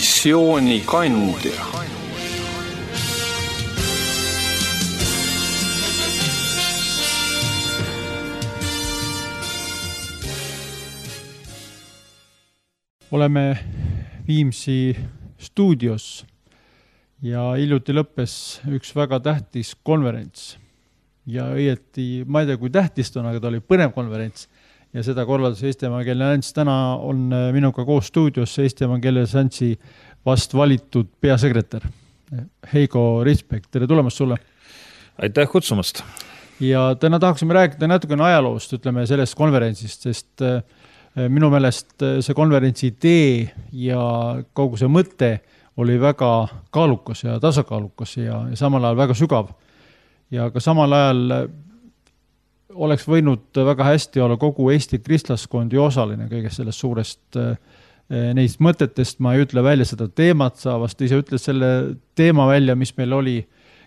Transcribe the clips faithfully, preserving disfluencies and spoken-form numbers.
missioonikandja. Oleme Viimsi stuudios ja hiljuti lõppes üks väga tähtis konverents. Ja õieti, ma ei tea, kui tähtis on, aga ta oli põnev konverents ja seda korraldas Eesti Evangeelne Allianss. Täna on minuga koos stuudios Eesti Evangeelne Alliansi vast valitud peasekretär Heigo Ritsbek. Tere tulemast sulle. Aitäh kutsumast. Ja täna tahaksime rääkida natukene ajaloost, ütleme sellest konverentsist, sest minu meelest see konverentsi idee ja kogu see mõte oli väga kaalukas ja tasakaalukas ja, ja samal ajal väga sügav. Ja ka samal ajal oleks võinud väga hästi olla kogu Eesti kristlaskondi osaline kõigest sellest suurest neist mõtetest. Ma ei ütle välja seda teemat, sa vast ise ütled selle teema välja, mis meil oli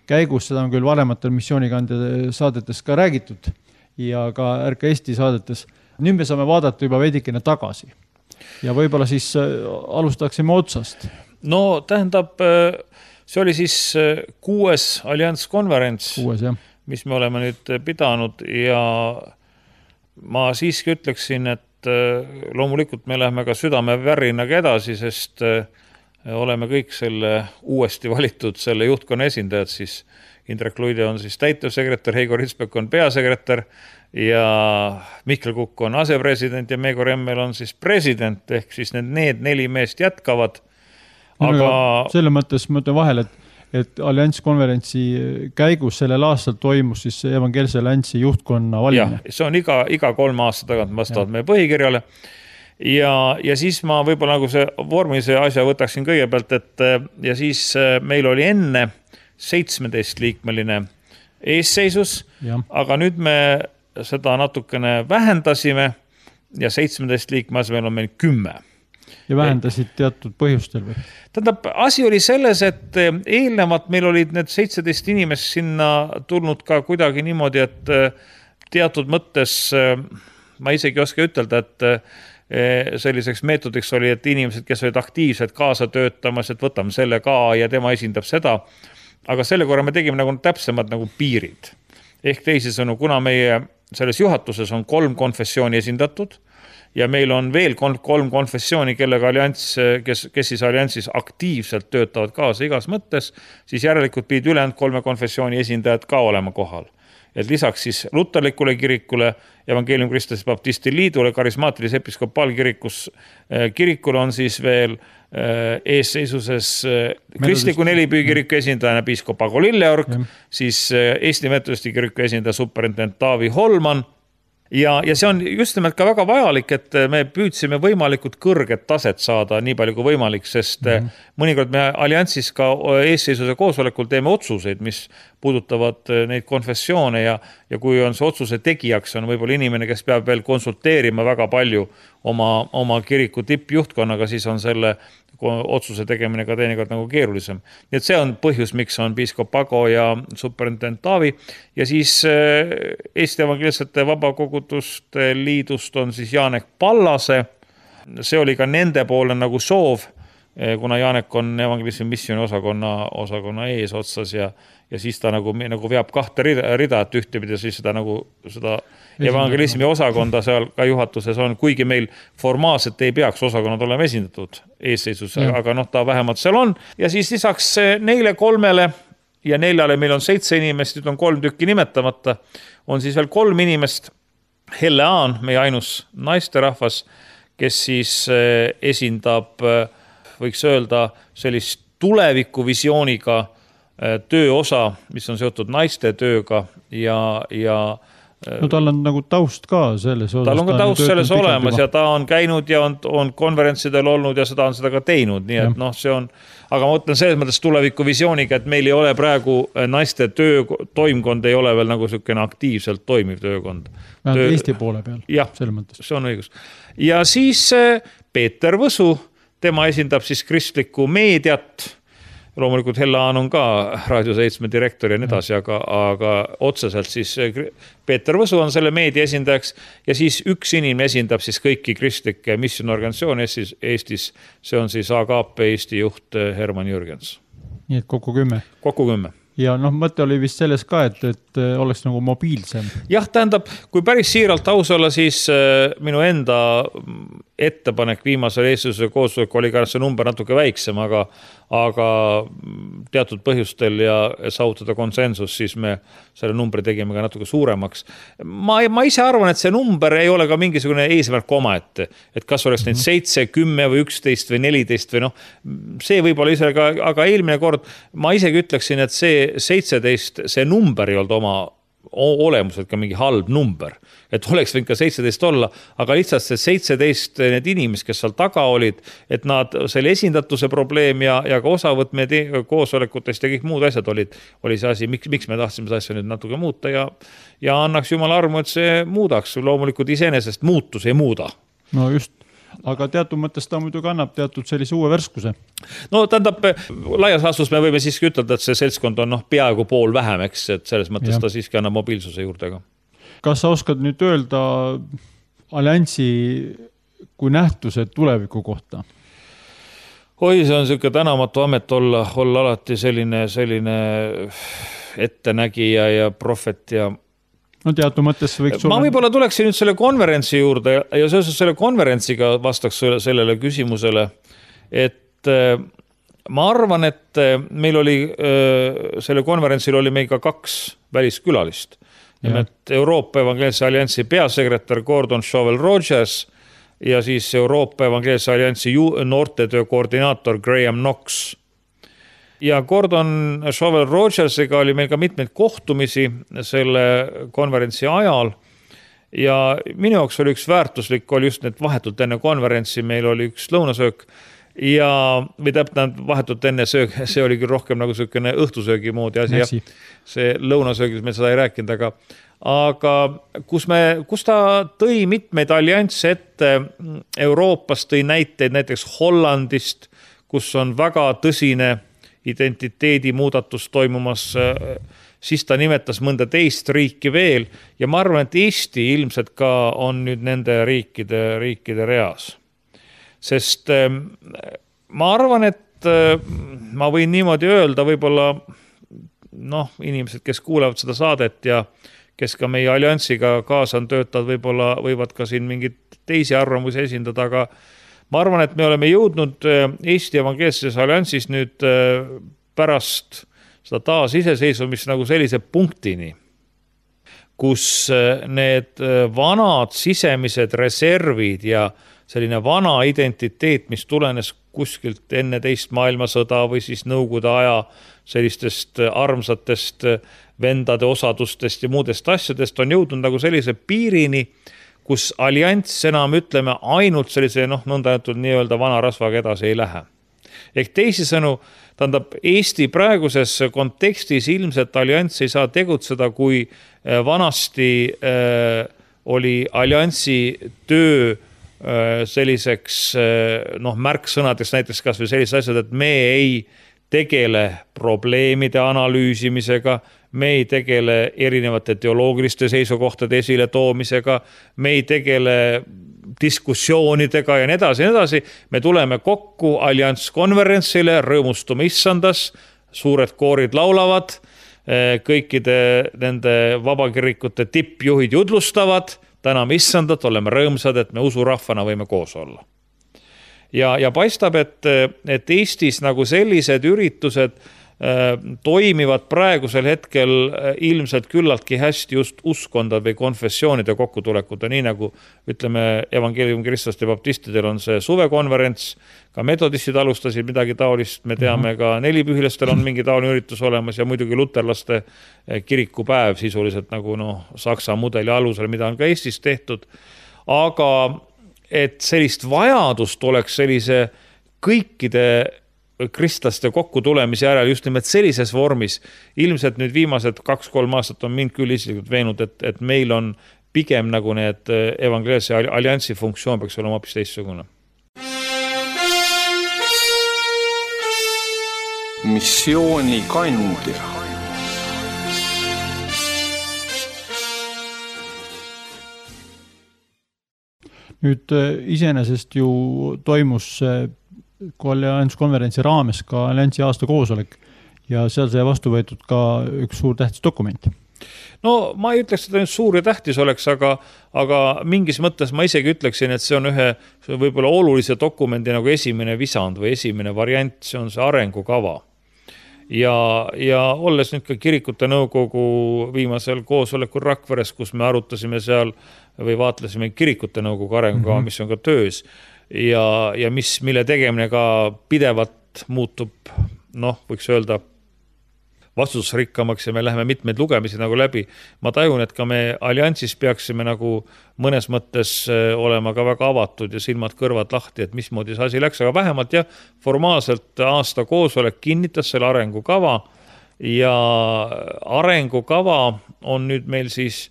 käigus. Seda on küll varematel missioonikandja saadetes ka räägitud ja ka R K Eesti saadetes. Nüüd me saame vaadata juba veidikene tagasi ja võib-olla siis alustaksime otsast. No tähendab, see oli siis kuues allianskonverents, kuues, jah. Mis me oleme nüüd pidanud ja ma siiski ütleksin, et loomulikult me läheme ka südame värinaga edasi, sest oleme kõik selle uuesti valitud selle juhtkonna esindajad, siis Indrek Luide on siis täitevsekretär, Heigo Ritsbek on peasekretär ja Mihkel Kukk on asepresident ja Meego Remmel on siis president, ehk siis need, need neli meest jätkavad. Aga no, selle mõttes ma ütlen vahel, et, et allianskonverentsi käigus sellel aastal toimus siis Evangeelse Alliansi juhtkonna valimine. Ja, see on iga, iga kolme aasta tagant vastavalt meie põhikirjale. Ja, ja siis ma võib-olla nagu see vormise asja võtaksin kõigepealt, et ja siis meil oli enne seitsmeteist liikmeline eesseisus, ja. Aga nüüd me seda natukene vähendasime ja seitsmeteist liikme asemel on meil kümme. Ja vähendasid teatud põhjustel või? Tähendab, asi oli selles, et eelnevalt meil olid need seitseteist inimest sinna tulnud ka kuidagi niimoodi, et teatud mõttes, ma isegi oska ütelda, et selliseks meetodiks oli, et inimesed, kes olid aktiivsed kaasa töötamas, et võtame selle ka ja tema esindab seda. Aga selle korra me tegime nagu täpsemad nagu piirid. Ehk teisisõnu, kuna meie selles juhatuses on kolm konfessiooni esindatud ja meil on veel kolm konfessiooni, kellega allianss, kes, kes siis alliansis aktiivselt töötavad kaasa igas mõttes, siis järelikult pidid ülejäänud kolme konfessiooni esindajad ka olema kohal. Et lisaks siis luterlikule kirikule, Evangeelium Christus Baptisti liidule, karismaatilis episkopaalkirikus kirikul on siis veel eesseisuses kristliku nelipüükiriku esindajana piiskop Ago Lilleorg, ja. Siis Eesti Metodisti kiriku esindaja superintendent Taavi Holman. Ja, ja see on just nimelt ka väga vajalik, et me püüdsime võimalikult kõrget taset saada nii palju kui võimalik, sest mm-hmm. mõnikord me alliansis ka eesseisuse koosolekul teeme otsuseid, mis puudutavad neid konfessioone ja, ja kui on see otsuse tegijaks, on võib-olla inimene, kes peab veel konsulteerima väga palju oma, oma kiriku tippjuhtkonnaga, siis on selle otsuse tegemine ka teinekord nagu keerulisem. Nii et see on põhjus, miks on piiskop Ago ja superintendent Taavi ja siis Eesti Evangeelsete Vabakoguduste liidust on siis Jaanek Pallase. See oli ka nende poole nagu soov, kuna Jaanek on evangelismi missiooni osakonna, osakonna ees otsas ja, ja siis ta nagu, nagu veab kahte rida, rida et ühtepidi siis seda, nagu, seda evangelismi osakonda seal ka juhatuses on, kuigi meil formaalselt ei peaks osakonnad olema esindatud eesseisus, ja. Aga noh, ta vähemalt seal on. Ja siis lisaks neile kolmele ja neljale meil on seitse inimest, nüüd on kolm tükki nimetamata, on siis veel kolm inimest. Helle Aan, meie ainus naisterahvas, kes siis esindab, võiks öelda, sellist tulevikuvisiooniga tööosa, mis on seotud naiste tööga ja, ja no tal on nagu taust ka selles osas. Tal on ka taust selles olemas ja ta on käinud ja on, on konverentsidel olnud ja seda on seda ka teinud, nii et ja. Noh, see on, aga ma mõtlen selles mõttes tulevikuvisiooniga, et meil ei ole praegu naiste töö, toimkond ei ole veel nagu selline aktiivselt toimiv töökond. Töö... Eesti poole peal. Jah, see on õigus. Ja siis Peeter Võsu, tema esindab siis kristlikku meediat loomulikult Hellaan on ka Raadio seitsme direktor ja nii edasi, aga, aga otseselt siis Peeter Võsu on selle meedia esindajaks ja siis üks inimene esindab siis kõiki kristlikke missionorganisatsioone Eestis, Eestis. See on siis A G P Eesti juht Herman Jürgens. Nii et kokku kümme. Kokku kümme. Ja noh, mõte oli vist selles ka, et, et oleks nagu mobiilsem. Jah, tähendab, kui päris siiralt aus olla, siis minu enda ettepanek viimasel eestluse koosolek oli ka see number natuke väiksem, aga, aga teatud põhjustel ja saavutada konsensus, siis me selle numbri tegime ka natuke suuremaks. Ma, ma ise arvan, et see number ei ole ka mingisugune eesmärk oma, et, et kas oleks neid seitse, kümme või üksteist või neliteist või noh, see võib olla ise, aga, aga eelmine kord ma isegi ütleksin, et see seitseteist, see number ei olnud oma olemuselt ka mingi halb number, et oleks võinud ka seitseteist olla, aga lihtsalt see seitseteist need inimesed, kes seal taga olid, et nad selle esindatuse probleem ja, ja ka osavõtme koosolekutest ja kõik muud asjad olid, oli see asi, miks, miks me tahtsime see asja nüüd natuke muuta ja, ja annaks Jumal armu, et see muudaks, loomulikult iseenesest muutus ei muuda. No just. Aga teatud mõttes ta muidugi annab teatud sellise uue verskuse. No tähendab, laias laastus me võime siiski ütelda, et see seltskond on noh, peaaegu pool vähem, eks, et selles mõttes ja. Ta siiski annab mobiilsuse juurde ka. Kas sa oskad nüüd öelda alliansi kui nähtuse tuleviku kohta? Oi, see on selline tänamatu amet olla, olla alati selline, selline ettenägija ja profet ja no teatud mõttes võiks ma võib-olla tuleksin nüüd selle konverentsi juurde ja seoses selle konverentsiga vastaks sellele küsimusele, et ma arvan, et meil oli selle konverentsil oli meil ka kaks väliskülalist. Nimelt Euroopa Evangeelse Alliansi peasekretär Gordon Shovel Rogers ja siis Euroopa Evangeelse Alliansi noortetöö koordinaator Graham Knox. Ja Gordon Shovel Rogersega oli meil ka mitmeid kohtumisi selle konverentsi ajal ja minu jaoks oli üks väärtuslik, oli just need vahetult enne konverentsi, meil oli üks lõunasöök ja või täpselt vahetult enne söök, see oli küll rohkem nagu selline õhtusöögi moodi asi, jah, see lõunasöögis me seda ei rääkinud, aga, aga kus, me, kus ta tõi mitmeid alliansse ette Euroopast, tõi näiteid näiteks Hollandist, kus on väga tõsine identiteedi muudatus toimumas, siis ta nimetas mõnda teist riiki veel ja ma arvan, et Eesti ilmselt ka on nüüd nende riikide, riikide reas. Sest ma arvan, et ma võin niimoodi öelda, võib-olla noh, inimesed, kes kuulevad seda saadet ja kes ka meie alliansiga kaasa on töötavad, võib-olla võivad ka siin mingid teisi arvamusi esindada, aga ma arvan, et me oleme jõudnud Eesti Evangeelses Alliansis nüüd pärast seda taas iseseisvumist nagu sellise punktini, kus need vanad sisemised reservid ja selline vana identiteet, mis tulenes kuskilt enne teist maailmasõda või siis nõukogude aja sellistest armsatest vendade osadustest ja muudest asjadest, on jõudnud nagu sellise piirini, kus allianss enam ütleme ainult sellise noh, nõndatud nii-öelda vana rasvaga edasi ei lähe. Ehk teisisõnu, tähendab Eesti praeguses kontekstis ilmselt allianss ei saa tegutseda, kui vanasti äh, oli alliansi töö äh, selliseks äh, noh, märksõnadeks näiteks kas või sellised asjad, et me ei tegele probleemide analüüsimisega, me ei tegele erinevate teoloogiliste seisukohtade esile toomisega, me ei tegele diskussioonidega ja nii edasi ja nii edasi. Me tuleme kokku allianskonverentsile, rõõmustume issandas, suured koorid laulavad, kõikide nende vabakirikute tippjuhid judlustavad, täname issandat, oleme rõõmsad, et me usurahvana võime koos olla. Ja, ja paistab, et, et Eestis nagu sellised üritused toimivad praegusel hetkel ilmselt küllaltki hästi just uskondade või konfessioonide kokkutulekuta, nii nagu ütleme evangeelium kristlaste baptistidel on see suvekonverents, ka metodistid alustasid midagi taolist, me teame ka nelipühilastel on mingi taoline üritus olemas ja muidugi luterlaste kirikupäev sisuliselt nagu noh, Saksa mudeli alusel, mida on ka Eestis tehtud, aga et sellist vajadust oleks sellise kõikide kristlaste kokkutulemise järel just nimelt sellises vormis. Ilmselt nüüd viimased kaks-kolm aastat on mind küll isiklikult veenud, et, et meil on pigem nagu need evangeelse alliansi funktsioon peaks olema hoopis teistsugune. missiooni kandja. Nüüd iseenesest ju toimus allianskonverentsi raames ka alliansi aasta koosolek ja seal sai vastu võetud ka üks suur tähtis dokument. No ma ei ütleks, et suur ja tähtis oleks, aga, aga mingis mõttes ma isegi ütleksin, et see on ühe võib-olla olulise dokumendi nagu esimene visand või esimene variant, see on see arengukava. Ja, ja olles nüüd ka kirikute nõukogu viimasel koosolekul Rakveres, kus me arutasime seal või vaatlesime kirikute nõukogu arengukava, mm-hmm. mis on ka töös ja, ja mis, mille tegemine ka pidevalt muutub, noh, võiks öelda, vastusrikkamaks ja me läheme mitmeid lugemisi nagu läbi. Ma tajun, et ka me alliansis peaksime nagu mõnes mõttes olema ka väga avatud ja silmad kõrvad lahti, et mismoodi see asi läks, aga vähemalt jah, formaalselt aasta koosolek kinnitas selle arengukava ja arengukava on nüüd meil siis,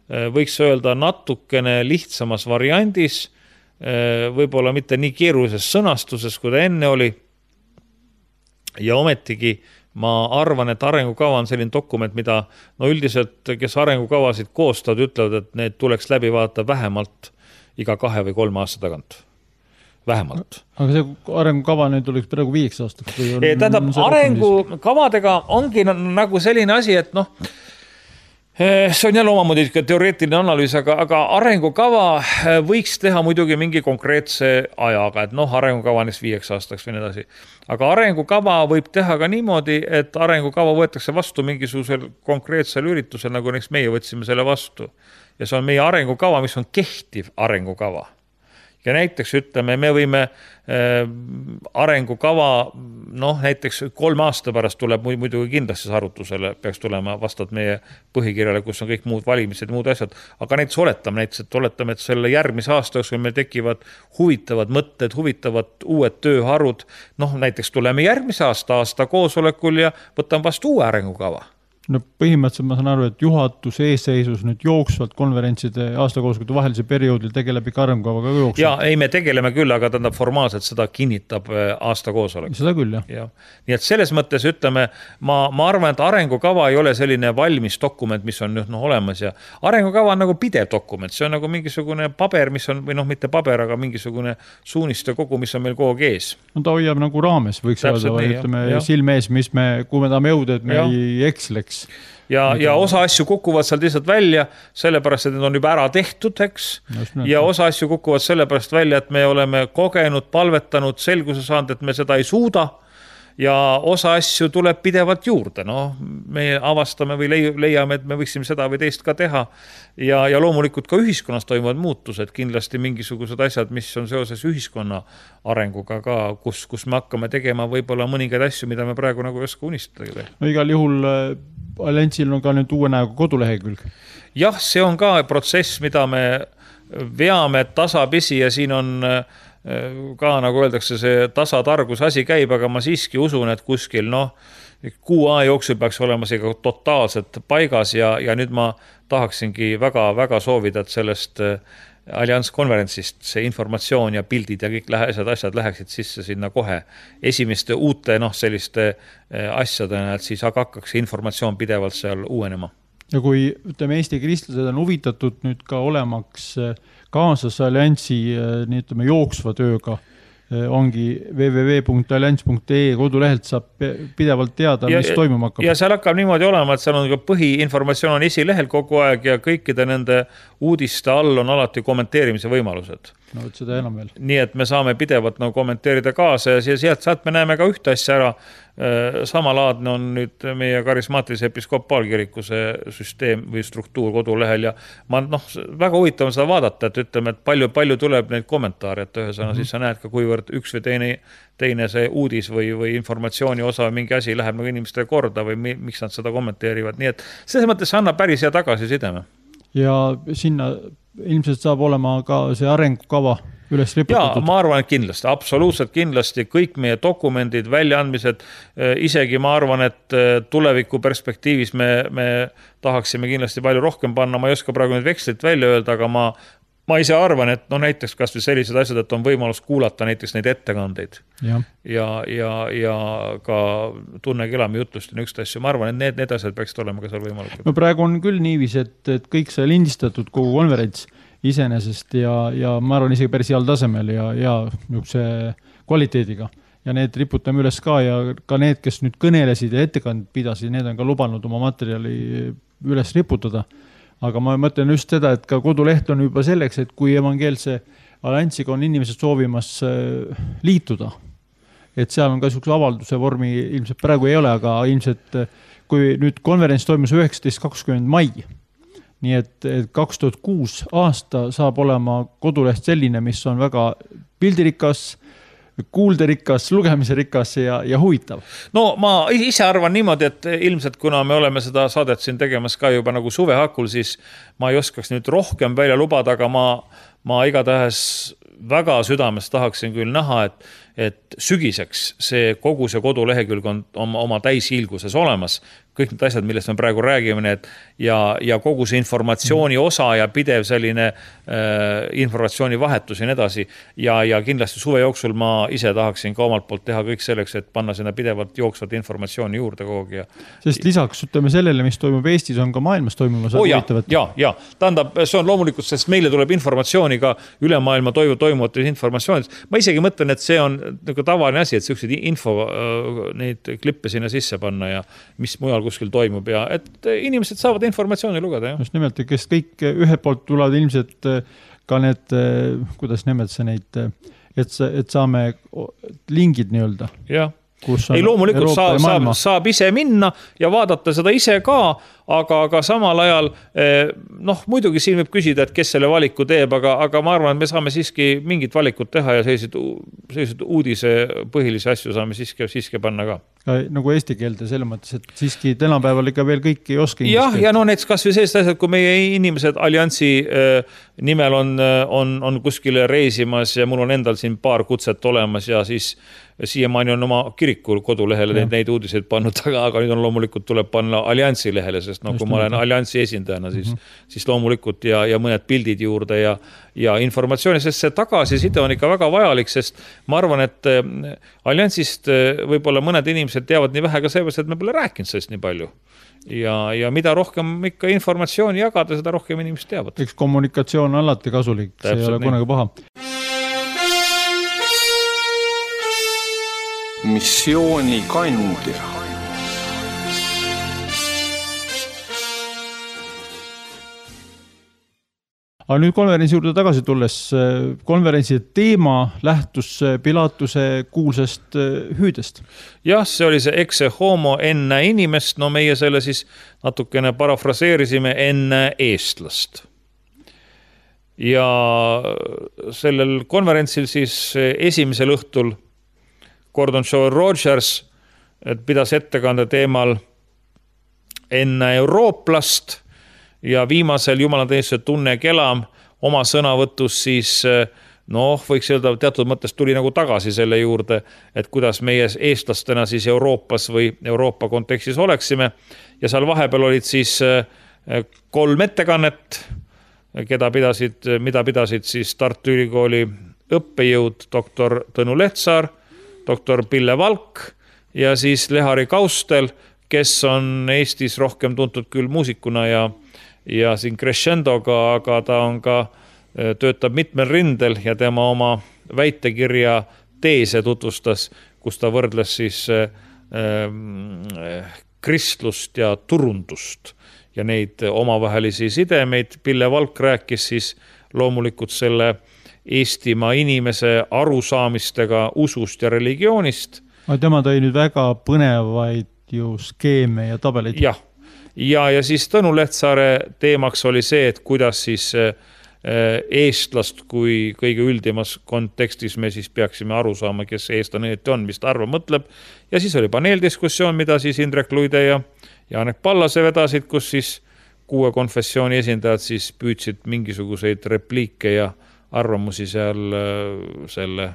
võiks öelda, natukene lihtsamas variandis, võib-olla mitte nii keerulises sõnastuses, kui ta enne oli ja ometigi ma arvan, et arengukava on selline dokument, mida no üldiselt, kes arengukavasid koostavad, ütlevad, et need tuleks läbi vaadata vähemalt iga kahe või kolme aasta tagant. Vähemalt. Aga see arengukava nüüd tuleks praegu viieks aastaks? Tähendab, arengukavadega ongi nagu selline asi, et noh, see on jälle omamoodi teoreetiline analüüs, aga, aga arengukava võiks teha muidugi mingi konkreetse ajaga, et noh, arengukava on viieks aastaks või nii edasi. Aga arengukava võib teha ka niimoodi, et arengukava võetakse vastu mingisugusel konkreetsel üritusel, nagu näiteks meie võtsime selle vastu. Ja see on meie arengukava, mis on kehtiv arengukava. Ja näiteks ütleme, me võime äh, arengukava, noh, näiteks kolme aasta pärast tuleb muidugi kindlasti arutusele, peaks tulema vastavalt meie põhikirjale, kus on kõik muud valimised ja muud asjad. Aga näiteks oletame, näiteks, et oletame, et selle järgmise aasta, kui meil tekivad huvitavad mõtted, huvitavad uued tööharud, noh, näiteks tuleme järgmise aasta aasta koosolekul ja võtame vastu uue arengukava. No põhimõtteliselt ma saan aru, et juhatuse eesseisus nüüd jooksvalt konverentside aastakoosolekute vahelise perioodil tegeleb ikka arengukavaga jooksvalt. Ja ei, me tegeleme küll, aga tähendab formaalselt seda kinnitab aastakoosolek. Seda küll, jah. Ja. Nii et selles mõttes ütleme, ma, ma arvan, et arengukava ei ole selline valmis dokument, mis on nüüd no, olemas ja arengukava on nagu pidev dokument, see on nagu mingisugune paber, mis on, või noh, mitte paber, aga mingisugune suuniste kogu, mis on meil kogu aeg ees. No ta hoiab nagu raames, võiks öelda, või ütleme ja. Silmees, mis me, kui me tahame jõuda, et me ja. Ei eksleks. Ja, ja osa asju kukuvad seal lihtsalt välja, sellepärast, et need on juba ära tehtud, eks. Ja osa asju kukuvad sellepärast välja, et me oleme kogenud, palvetanud, selguse saanud, et me seda ei suuda. Ja osa asju tuleb pidevalt juurde. No, me avastame või leiame, et me võiksime seda või teist ka teha. Ja, ja loomulikult ka ühiskonnas toimuvad muutused, kindlasti mingisugused asjad, mis on seoses ühiskonna arenguga ka, kus, kus me hakkame tegema võib-olla mõningaid asju, mida me praegu nagu ei oska unistada. No igal juhul alliansil on ka nüüd uue näoga kodulehekülg. Jah, see on ka protsess, mida me veame tasapisi ja siin on ka, nagu öeldakse, see tasatargus asi käib, aga ma siiski usun, et kuskil, noh, kuu A jooksul peaks olema see totaalselt paigas ja, ja nüüd ma tahaksingi väga, väga soovida, et sellest allianskonverentsist see informatsioon ja pildid ja kõik asjad, asjad läheksid sisse sinna kohe esimeste uute, noh, selliste asjadena, et siis hakkaks informatsioon pidevalt seal uuenema. Ja kui, ütleme, Eesti kristlased on huvitatud nüüd ka olemaks kaasas alliansi nii ütleme jooksva tööga, ongi w w w punkt allians punkt e kodulehelt saab pidevalt teada, ja, mis toimuma hakkab. Ja seal hakkab niimoodi olema, et seal on ka põhiinformatsioon on esilehel kogu aeg ja kõikide nende uudiste all on alati kommenteerimise võimalused. No, seda enam veel. Nii et me saame pidevalt nagu kommenteerida kaasa ja sealt, sealt me näeme ka ühte asja ära. Samalaadne on nüüd meie karismaatilise episkopaalkiriku see süsteem või struktuur kodulehel ja ma, noh, väga huvitav on seda vaadata, et ütleme, et palju, palju tuleb neid kommentaare, et ühesõna, mm-hmm. siis sa näed ka, kuivõrd üks või teine, teine see uudis või, või informatsiooni osa või mingi asi läheb nagu inimestele korda või mi, miks nad seda kommenteerivad. Nii et selles mõttes annab päris hea tagasi sideme. Ja sinna ilmselt saab olema ka see arengukava üles riputatud. Ja, ma arvan, et kindlasti, absoluutselt kindlasti kõik meie dokumendid, väljaandmised, isegi ma arvan, et tuleviku perspektiivis me, me tahaksime kindlasti palju rohkem panna, ma ei oska praegu nüüd vekslit välja öelda, aga ma ma ise arvan, et no näiteks kas või sellised asjad, et on võimalus kuulata näiteks neid ettekandeid ja, ja, ja, ja ka tunne kelami jutlust ja nükst asju. Ma arvan, et need, need asjad peaksid olema ka seal võimalik. No praegu on küll niivis, et, et kõik see lindistatud kogu konverents iseenesest ja, ja ma arvan isegi päris heal tasemel ja, ja niisuguse kvaliteediga. Ja need riputame üles ka ja ka need, kes nüüd kõnelesid ja ettekand pidasid, need on ka lubanud oma materjali üles riputada. Aga ma mõtlen just seda, et ka koduleht on juba selleks, et kui evangeelse alliansiga on inimesed soovimas liituda, et seal on ka niisuguse avalduse vormi, ilmselt praegu ei ole, aga ilmselt kui nüüd konverents toimus üheksateist kakskümmend mai, nii et, et kaks tuhat kuus aasta saab olema koduleht selline, mis on väga pildirikas, kuulderikas, lugemiserikas ja, ja huvitav. No ma ise arvan niimoodi, et ilmselt kuna me oleme seda saadet siin tegemas ka juba nagu suvehakul, siis ma ei oskaks nüüd rohkem välja lubada, aga ma, ma igatahes väga südames tahaksin küll näha, et, et sügiseks see kogu see kodulehekülg on oma, oma täishiilguses olemas. Kõik need asjad, millest me praegu räägime, et ja, ja kogu see informatsiooni osa ja pidev selline äh, informatsiooni vahetus ja nii edasi. Ja, ja kindlasti suve jooksul ma ise tahaksin ka omalt poolt teha kõik selleks, et panna sinna pidevalt jooksvat informatsiooni juurde kogu aeg. Sest lisaks ütleme sellele, mis toimub Eestis, on ka maailmas toimumas. Oh, ja, ja, ja. Tähendab, see on loomulikult, sest meile tuleb informatsiooni ka üle maailma toimu, toimuvates informatsioonid. Ma isegi mõtlen, et see on nagu tavaline asi, et sellised info äh, neid klippe sinna sisse panna ja mis mujal kuskil toimub ja et inimesed saavad informatsiooni lugeda. Just nimelt, kes kõik ühelt poolt tulevad ilmselt ka need, kuidas nimed see neid, et, et saame lingid nii-öelda. Jah. Ei, loomulikult saab, saab, saab ise minna ja vaadata seda ise ka, aga, aga samal ajal, noh, muidugi siin võib küsida, et kes selle valiku teeb, aga, aga ma arvan, et me saame siiski mingit valikut teha ja sellised, sellised uudise põhilisi asju saame siiski, siiski panna ka. Ka nagu eesti keelde selles mõttes, et siiski tänapäeval ikka veel kõik ei oska. Jah, ja no näiteks kas või sellised asjad, kui meie inimesed alliansi nimel on, on, on kuskile reisimas ja mul on endal siin paar kutset olemas ja siis siiamaani on oma kirikul kodulehele neid, neid uudiseid pannud, aga, aga nüüd on loomulikult tuleb panna alliansi lehele, sest no, kui ma olen alliansi esindajana, siis, mm-hmm. siis loomulikult ja, ja mõned pildid juurde ja, ja informatsiooni, sest see tagasiside on ikka väga vajalik, sest ma arvan, et alliansist võib-olla mõned inimesed teavad nii vähe ka seepärast, et me pole rääkinud sellest nii palju. Ja, ja mida rohkem ikka informatsiooni jagada, seda rohkem inimesed teavad. Eks kommunikatsioon on alati kasulik, see ei ole kunagi paha. Missiooni kandja. Aga nüüd konverentsi juurde tagasi tulles, konverentsi teema lähtus Pilatuse kuulsast hüüdest. Jah, see oli see exe homo enne inimest, no meie selle siis natukene parafraseerisime enne eestlast. Ja sellel konverentsil siis esimesel õhtul Gordon Joel Rogers pidas ettekande teemal enne eurooplast ja viimasel jumalateenistuse tunne kelam oma sõnavõtus siis, noh, võiks öelda, teatud mõttes tuli nagu tagasi selle juurde, et kuidas meie eestlastena siis Euroopas või Euroopa kontekstis oleksime ja seal vahepeal olid siis kolm ettekannet, keda pidasid, mida pidasid siis Tartu Ülikooli õppejõud doktor Tõnu Lehtsaar, doktor Pille Valk ja siis Lehari Kaustel, kes on Eestis rohkem tuntud küll muusikuna ja, ja siin crescendoga, aga ta on ka, töötab mitmel rindel ja tema oma väitekirja teese tutvustas, kus ta võrdles siis äh, kristlust ja turundust ja neid omavahelisi sidemeid. Pille Valk rääkis siis loomulikult selle Eestimaa inimese arusaamistega usust ja religioonist. Aga tema tõi nüüd väga põnevaid ju skeeme ja tabeleid. Jah, ja, ja siis Tõnu Lehtsaare teemaks oli see, et kuidas siis eestlast kui kõige üldimas kontekstis me siis peaksime aru saama, kes eestlane on, mis ta arva mõtleb. Ja siis oli paneeldiskussioon, mida siis Indrek Luide ja Janek Pallase vedasid, kus siis kuue konfessiooni esindajad siis püüdsid mingisuguseid repliike ja arvamusi seal selle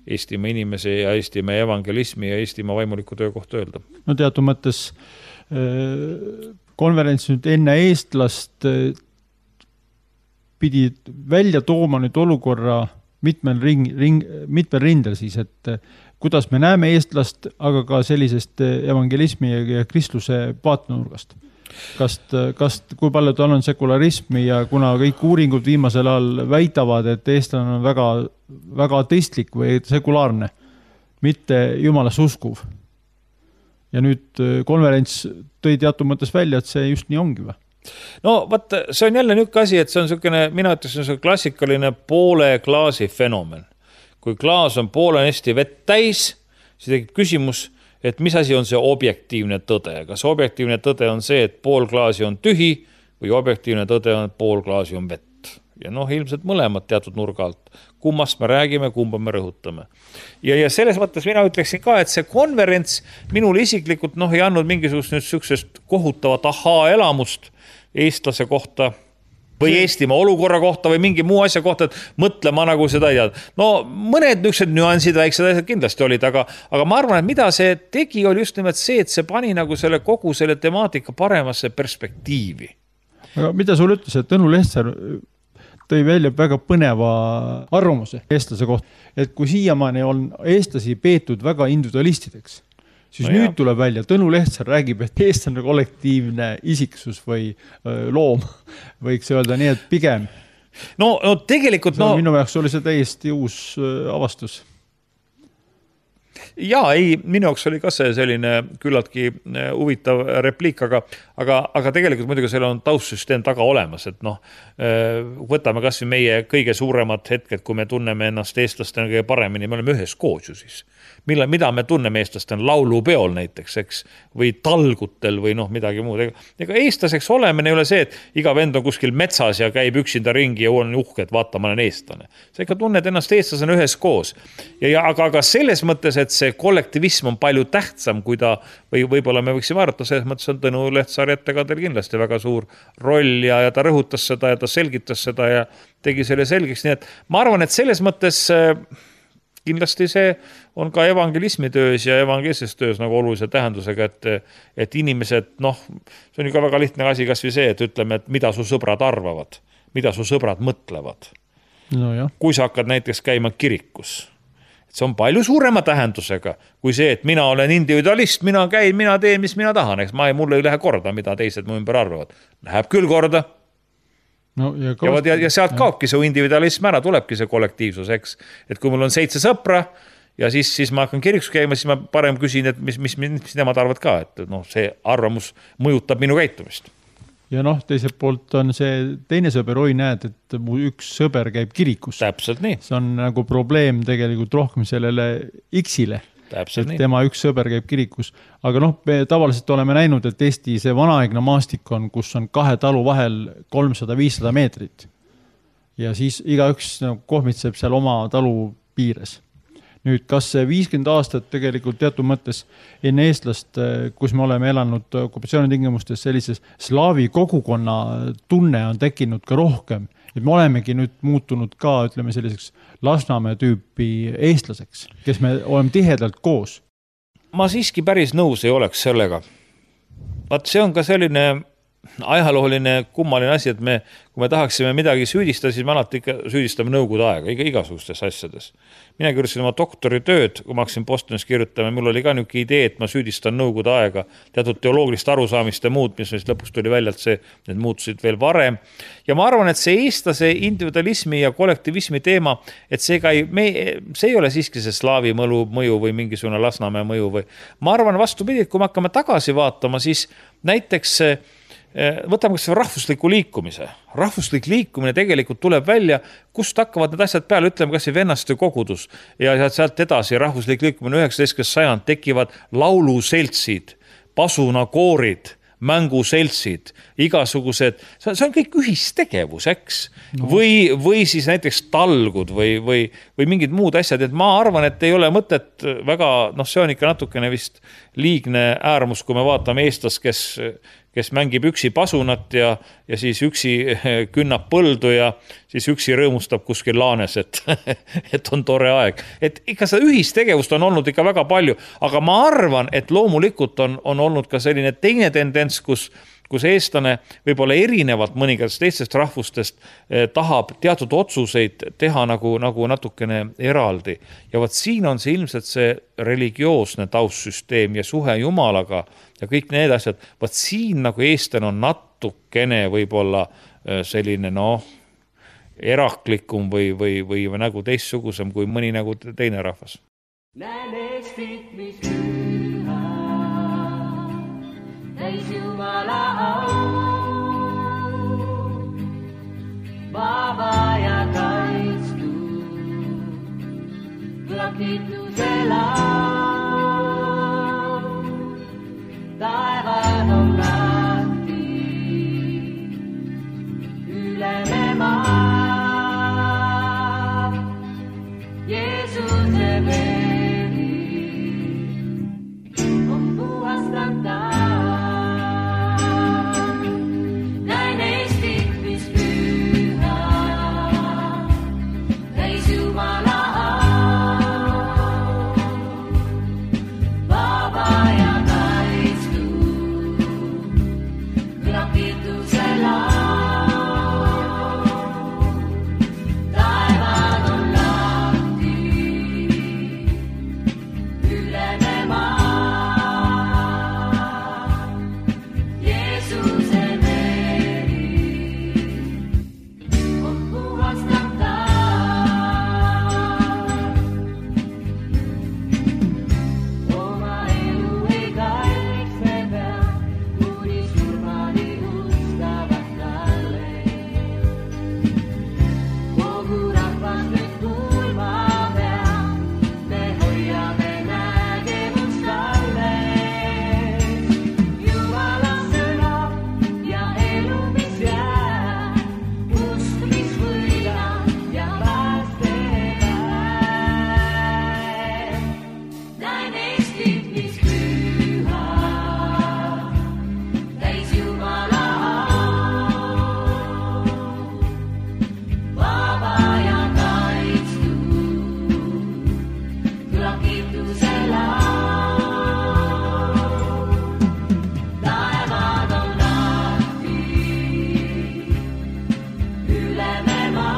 Eestimaa inimese ja Eestimaa evangelismi ja Eestimaa vaimuliku töö kohta öelda. No teatud mõttes konverents nüüd enne eestlast pidi välja tooma nüüd olukorra mitmel, ring, ring, mitmel rindel siis, et kuidas me näeme eestlast, aga ka sellisest evangelismi ja kristluse vaatenurgast. Kast, kast, kui palju tal on sekularismi ja kuna kõik uuringud viimasel ajal väidavad, et eestlane on väga, väga ateistlik või sekulaarne, mitte jumalasse uskuv. Ja nüüd konverents tõi teatud mõttes välja, et see just nii ongi või? No vaat, see on jälle niisugune asi, et see on niisugune, mina ütlesin, see klassikaline poole klaasi fenomen. Kui klaas on poole hästi vett täis, siis tekib küsimus, et mis asi on see objektiivne tõde. Kas objektiivne tõde on see, et pool klaasi on tühi või objektiivne tõde on, et pool klaasi on vett. Ja noh, ilmselt mõlemad teatud nurga alt. Kummast me räägime, kumba me rõhutame. Ja, ja selles mõttes mina ütleksin ka, et see konverents minul isiklikult noh, ei andnud mingisugust nüüd süksest kohutavat ahaa elamust eestlase kohta või Eestimaa olukorra kohta või mingi muu asja kohta, et mõtlema nagu seda ei teada. No mõned nüksed nüansid, väiksed asjad kindlasti olid, aga, aga ma arvan, et mida see tegi, oli just nimelt see, et see pani nagu selle kogu selle temaatika paremasse perspektiivi. Aga mida sul ütles, et Tõnu Lehtsaar tõi välja väga põneva arvamuse eestlase kohta, et kui siiamaani on eestlasi peetud väga individualistideks, siis no nüüd jah. Tuleb välja, Tõnu Lehtsaar räägib, et eestlane kollektiivne isiksus või öö, loom, võiks öelda nii, et pigem. No, no tegelikult... No, no... minu jaoks oli see täiesti uus öö, avastus. Jaa, ei, minu jaoks oli ka see selline küllaltki huvitav repliik, aga, aga, aga tegelikult muidugi seal on taustsüsteem taga olemas, et noh, võtame kas või meie kõige suuremad hetked, kui me tunneme ennast eestlastena kõige paremini, me oleme ühes koos ju siis. Mille, mida me tunneme eestlastena laulupeol näiteks, eks, või talgutel või noh, midagi muud. Ega eestlaseks olemine ei ole see, et iga vend on kuskil metsas ja käib üksinda ringi ja on uhke, et vaata, ma olen eestlane. Sa ikka tunned ennast eestlasena ühes koos. Ja, ja, aga, aga selles mõttes, et see kollektivism on palju tähtsam, kui ta, või võib-olla me võiksime arvata, selles mõttes on Tõnu Lehtsaari ettekandel kindlasti väga suur roll ja, ja ta rõhutas seda ja ta selgitas seda ja tegi selle selgeks. Nii et ma arvan, et selles mõttes kindlasti see on ka evangelismi töös ja evangeelses töös nagu olulise tähendusega, et, et inimesed, noh, see on ju ka väga lihtne asi kas või see, et ütleme, et mida su sõbrad arvavad, mida su sõbrad mõtlevad. No jah. Kui sa hakkad näiteks käima kirikus, see on palju suurema tähendusega kui see, et mina olen individualist, mina käin, mina teen, mis mina tahan, eks ma ei, mulle ei lähe korda, mida teised mu ümber arvavad. Läheb küll korda. No, ja, ja, ja, ja sealt kaobki see individualism ära, tulebki see kollektiivsus, eks. Et kui mul on seitse sõpra ja siis, siis ma hakkan kirikus käima, siis ma parem küsin, et mis, mis, mis nemad arvad ka, et noh, see arvamus mõjutab minu käitumist. Ja noh, teiselt poolt on see teine sõber, oi näed, et mu üks sõber käib kirikus. Täpselt nii. See on nagu probleem tegelikult rohkem sellele X-ile. Täpselt et nii. Tema üks sõber käib kirikus. Aga noh, me tavaliselt oleme näinud, et Eesti see vanaaegne maastik on, kus on kahe talu vahel kolmsada viissada meetrit. Ja siis igaüks kohmitseb seal oma talu piires. Nüüd, kas see viiskümmend aastat tegelikult teatud mõttes enne eestlast, kus me oleme elanud okupatsioonitingimustes, sellises slaavi kogukonna tunne on tekkinud ka rohkem. Et me olemegi nüüd muutunud ka, ütleme selliseks Lasnamäe tüüpi eestlaseks, kes me oleme tihedalt koos. Ma siiski päris nõus ei oleks sellega. Vaat see on ka selline ajalooline kummaline asi, et me, kui me tahaksime midagi süüdistada, siis me alati ikka süüdistame nõukogude aega, iga, igasugustes asjades. Mina kirjutasin oma doktoritööd, kui ma hakkasin Bostonis kirjutama, mul oli ka niisugune idee, et ma süüdistan nõukogude aega, teatud teoloogilist arusaamist ja muud, mis lõpuks tuli välja, et see, need muutusid veel varem. Ja ma arvan, et see eestlase individualismi ja kollektivismi teema, et see, ei, me, see ei ole siiski see slaavi mõlu, mõju või mingisugune Lasnamäe mõju. Või. Ma arvan vastupidi, et kui me hakkame tagasi vaatama, siis näiteks võtame kas rahvusliku liikumise. Rahvuslik liikumine tegelikult tuleb välja, kust hakkavad need asjad peale, ütleme kas vennaste kogudus ja sealt edasi rahvuslik liikumine üheksateistkümnes sajand tekivad lauluseltsid, pasunakoorid, mänguseltsid, igasugused, see on kõik ühistegevus, eks? No. Või, või siis näiteks talgud või, või, või mingid muud asjad, et ma arvan, et ei ole mõtet väga, noh see on ikka natukene vist liigne äärmus, kui me vaatame eestlast, kes kes mängib üksi pasunat ja, ja siis üksi künnab põldu ja siis üksi rõõmustab kuskil laanes, et, et on tore aeg. Et ikka seda ühistegevust on olnud ikka väga palju, aga ma arvan, et loomulikult on, on olnud ka selline teine tendents, kus, kus eestlane võib-olla erinevalt mõningatest teistest rahvustest tahab teatud otsuseid teha nagu, nagu natukene eraldi. Ja võt siin on see ilmselt see religioosne taustsüsteem ja suhe Jumalaga ja kõik need asjad. Võt siin nagu eestlane on natukene võib-olla selline noh, eraklikum või, või, või nagu teistsugusem kui mõni nagu teine rahvas. Näen Eestit, mis püha, täis Jumala au, vaba ja kaitstu, kõlab kiituse laul, taevad on lahti, üleme maa, Jeesuse veri. Näin Eestit, mis püha, täis Jumala au, vaba ja kaitstu, kõlab kiituse laul, taevad on lahti, üleme maa.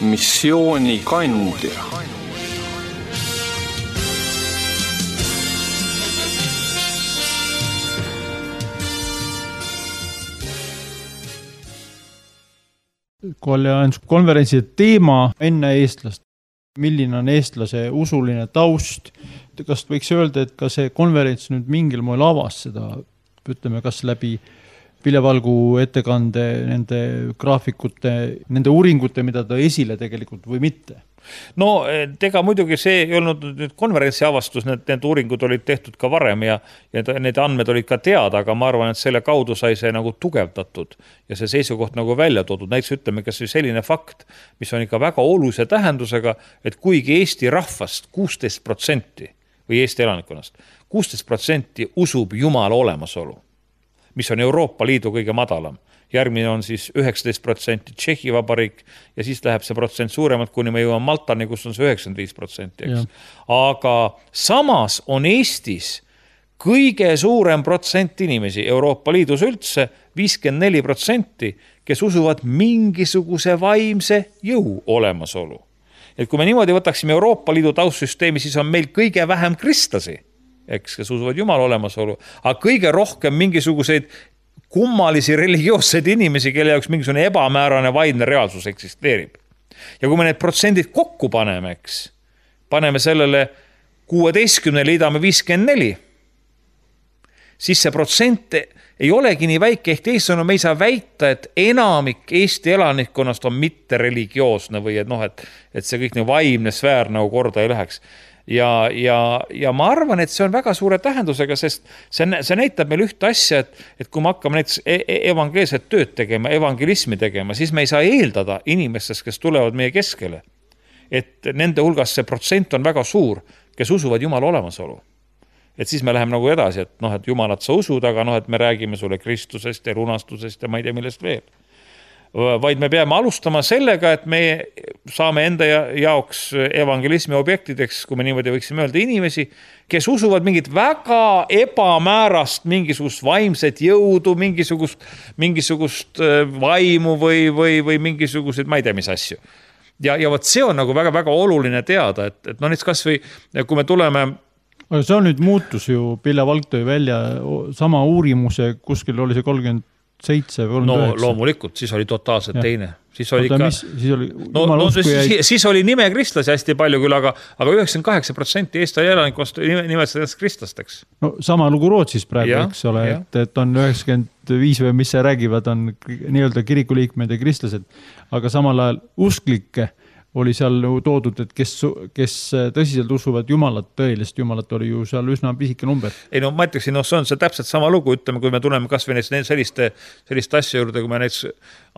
missioonikandja. konverentsi teema enne eestlast. Milline on eestlase usuline taust? Kas võiks öelda, et ka see konverents nüüd mingil moel avas seda, ütleme, kas läbi Vilja Valgu ettekande, nende graafikute, nende uuringute, mida ta esile tegelikult või mitte? No ega muidugi see ei olnud nüüd konverentsi avastus, need, need uuringud olid tehtud ka varem ja, ja need andmed olid ka teada, aga ma arvan, et selle kaudu sai see nagu tugevdatud ja see seisukoht nagu välja toodud. Näiteks ütleme, kas selline fakt, mis on ikka väga olulise tähendusega, et kuigi Eesti rahvast kuusteist protsenti või Eesti elanikkonnast kuusteist protsenti usub Jumala olemasolu, mis on Euroopa Liidu kõige madalam. Järgmine on siis üheksateist protsenti Tšehhi Vabariik ja siis läheb see protsent suuremalt, kuni me jõuame Maltani, kus on see üheksakümmend viis protsenti. Aga samas on Eestis kõige suurem protsent inimesi Euroopa Liidus üldse, viiskümmend neli protsenti, kes usuvad mingisuguse vaimse jõu olemasolu. Et kui me niimoodi võtaksime Euroopa Liidu taustsüsteemi, siis on meil kõige vähem kristlasi, eks, kes usuvad Jumala olemasolu, aga kõige rohkem mingisuguseid kummalisi religioosseid inimesi, kelle jaoks mingisugune ebamäärane vaimne reaalsus eksisteerib. Ja kui me need protsendid kokku paneme, eks, paneme sellele kuueteistkümne liidame viiskümmend neli, siis see protsent ei olegi nii väike, ehk teisõnu me ei saa väita, et enamik Eesti elanikkonnast on mitte religioosne või et, noh, et, et see kõik nii vaimne sfäär nagu korda ei läheks. Ja, ja, ja ma arvan, et see on väga suure tähendusega, sest see, see näitab meil ühte asja, et, et kui me hakkame näiteks evangeelset tööd tegema, evangelismi tegema, siis me ei saa eeldada inimestest, kes tulevad meie keskele, et nende hulgas see protsent on väga suur, kes usuvad Jumala olemasolu. Et siis me läheme nagu edasi, et, noh, et Jumalat sa usud, aga noh, et me räägime sulle Kristusest ja lunastusest ja ma ei tea millest veel. Vaid me peame alustama sellega, et me saame enda jaoks evangelismi objektideks, kui me niimoodi võiksime öelda, inimesi, kes usuvad mingit väga ebamäärast, mingisugust vaimset jõudu, mingisugust, mingisugust vaimu või, või, või mingisugused, ma ei tea, mis asju. Ja, ja võt see on nagu väga-väga oluline teada, et, et no nüüd kas või, kui me tuleme... Aga see on nüüd muutus ju, Vilja Valg tõi välja sama uurimuse, kuskil oli see kolmkümmend seitse või kolmkümmend üheksa. No loomulikult, siis oli totaalselt ja. Teine. Siis oli, Oota, ka... mis, siis, oli no, no, siis, jäi... siis oli nime kristlasi hästi palju küll, aga, aga üheksakümmend kaheksa protsenti Eesti elanikust nimetasid ennast kristlasteks. No sama lugu Rootsis praegu, ja, eks ole, et, et on üheksakümmend viis või mis see räägivad, on nii-öelda kirikuliikmed ja kristlased, aga samal ajal usklikke oli seal toodud, et kes, kes tõsiselt usuvad Jumalat, tõelist Jumalat oli ju seal üsna pisike number. Ei no ma ütleksin, no see on see täpselt sama lugu, ütleme, kui me tuleme kas või selliste, selliste asja juurde, kui me näiteks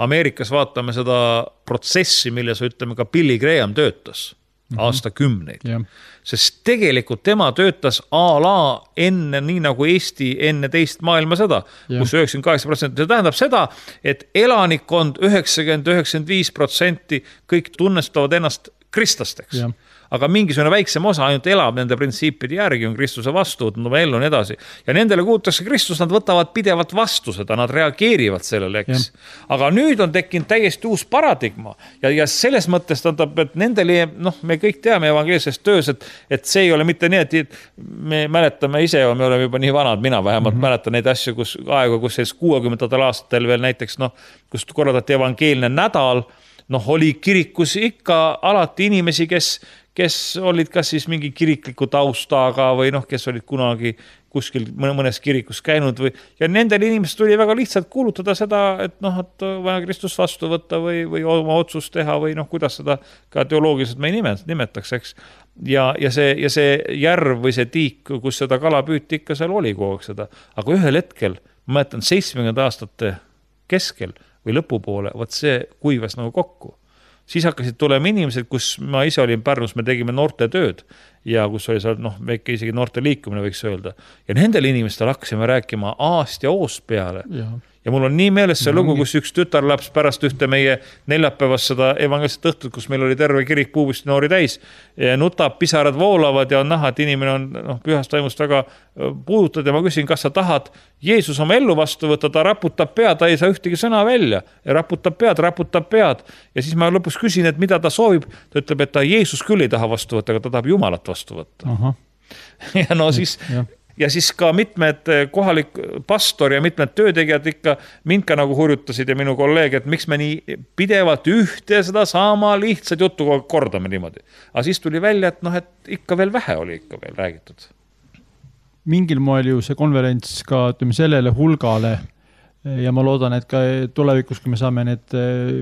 Ameerikas vaatame seda protsessi, milles ütleme ka Billy Graham töötas mm-hmm. aastakümneid. Ja. Sest tegelikult tema töötas a la enne, nii nagu Eesti enne teist maailmasõda, ja. Kus üheksakümmend kaheksa protsenti. See tähendab seda, et elanikkond üheksakümmend kuni üheksakümmend viis protsenti kõik tunnestavad ennast kristlasteks. Ja. Aga mingisugune väiksem osa ainult elab nende printsiipide järgi, on Kristuse vastu, no ellu on edasi. Ja nendele kuutakse Kristus, nad võtavad pidevalt vastu seda, nad reageerivad sellele, eks. Ja. Aga nüüd on tekkinud täiesti uus paradigma ja, ja selles mõttes tähendab, et nendele, noh, me kõik teame evangeelsest töös, et, et see ei ole mitte nii, et me mäletame ise, me oleme juba nii vanad, mina vähemalt mm-hmm. mäletan neid asju, kus aega, kus selles kuuekümnendatel aastatel veel näiteks, noh, kus korraldati evangeelne nädal, noh, oli kirikus ikka alati inimesi, kes kes olid kas siis mingi kirikliku taustaga või noh, kes olid kunagi kuskil mõnes kirikus käinud või, ja nendel inimestel tuli väga lihtsalt kuulutada seda, et noh, et vaja Kristus vastu võtta või, või oma otsust teha või noh, kuidas seda ka teoloogiliselt me ei nimetaks, eks. Ja, ja, see, ja see järv või see tiik, kus seda kala püüti, ikka seal oli kogu aeg seda. Aga ühel hetkel, ma mäletan seitsmekümnendate aastate keskel või lõpupoole, võt see kuivas nagu kokku. Siis hakkasid tulema inimesed, kus ma ise olin Pärnus, me tegime noorte tööd ja kus oli seal, noh, väike isegi noorte liikumine võiks öelda. Ja nendel inimestel hakkasime rääkima aast ja oost peale. Ja. Ja mul on nii meeles see lugu, kus üks tütarlaps pärast ühte meie neljapäevast seda evangeelset õhtut, kus meil oli terve kirik puubust noori täis, nutab, pisarad voolavad ja on näha, et inimene on noh, pühast taimust väga puudutad ja ma küsin, kas sa tahad Jeesus oma ellu vastu võtta, ta raputab pead, ta ei saa ühtegi sõna välja ja raputab pead, raputab pead ja siis ma lõpus küsin, et mida ta soovib, ta ütleb, et ta Jeesus küll ei taha vastu võtta, aga ta tahab Jumalat vastu võtta. Aha. Ja no siis ja. ja siis ka mitmed kohalik pastor ja mitmed töötegijad ikka mind ka nagu hurjutasid ja minu kolleeg, et miks me nii pidevalt ühte seda sama lihtsat juttu kordame niimoodi. Aga siis tuli välja, et noh, et ikka veel vähe oli ikka veel räägitud. Mingil moel ju see konverents ka ütleme, sellele hulgale ja ma loodan, et ka tulevikus, kui me saame need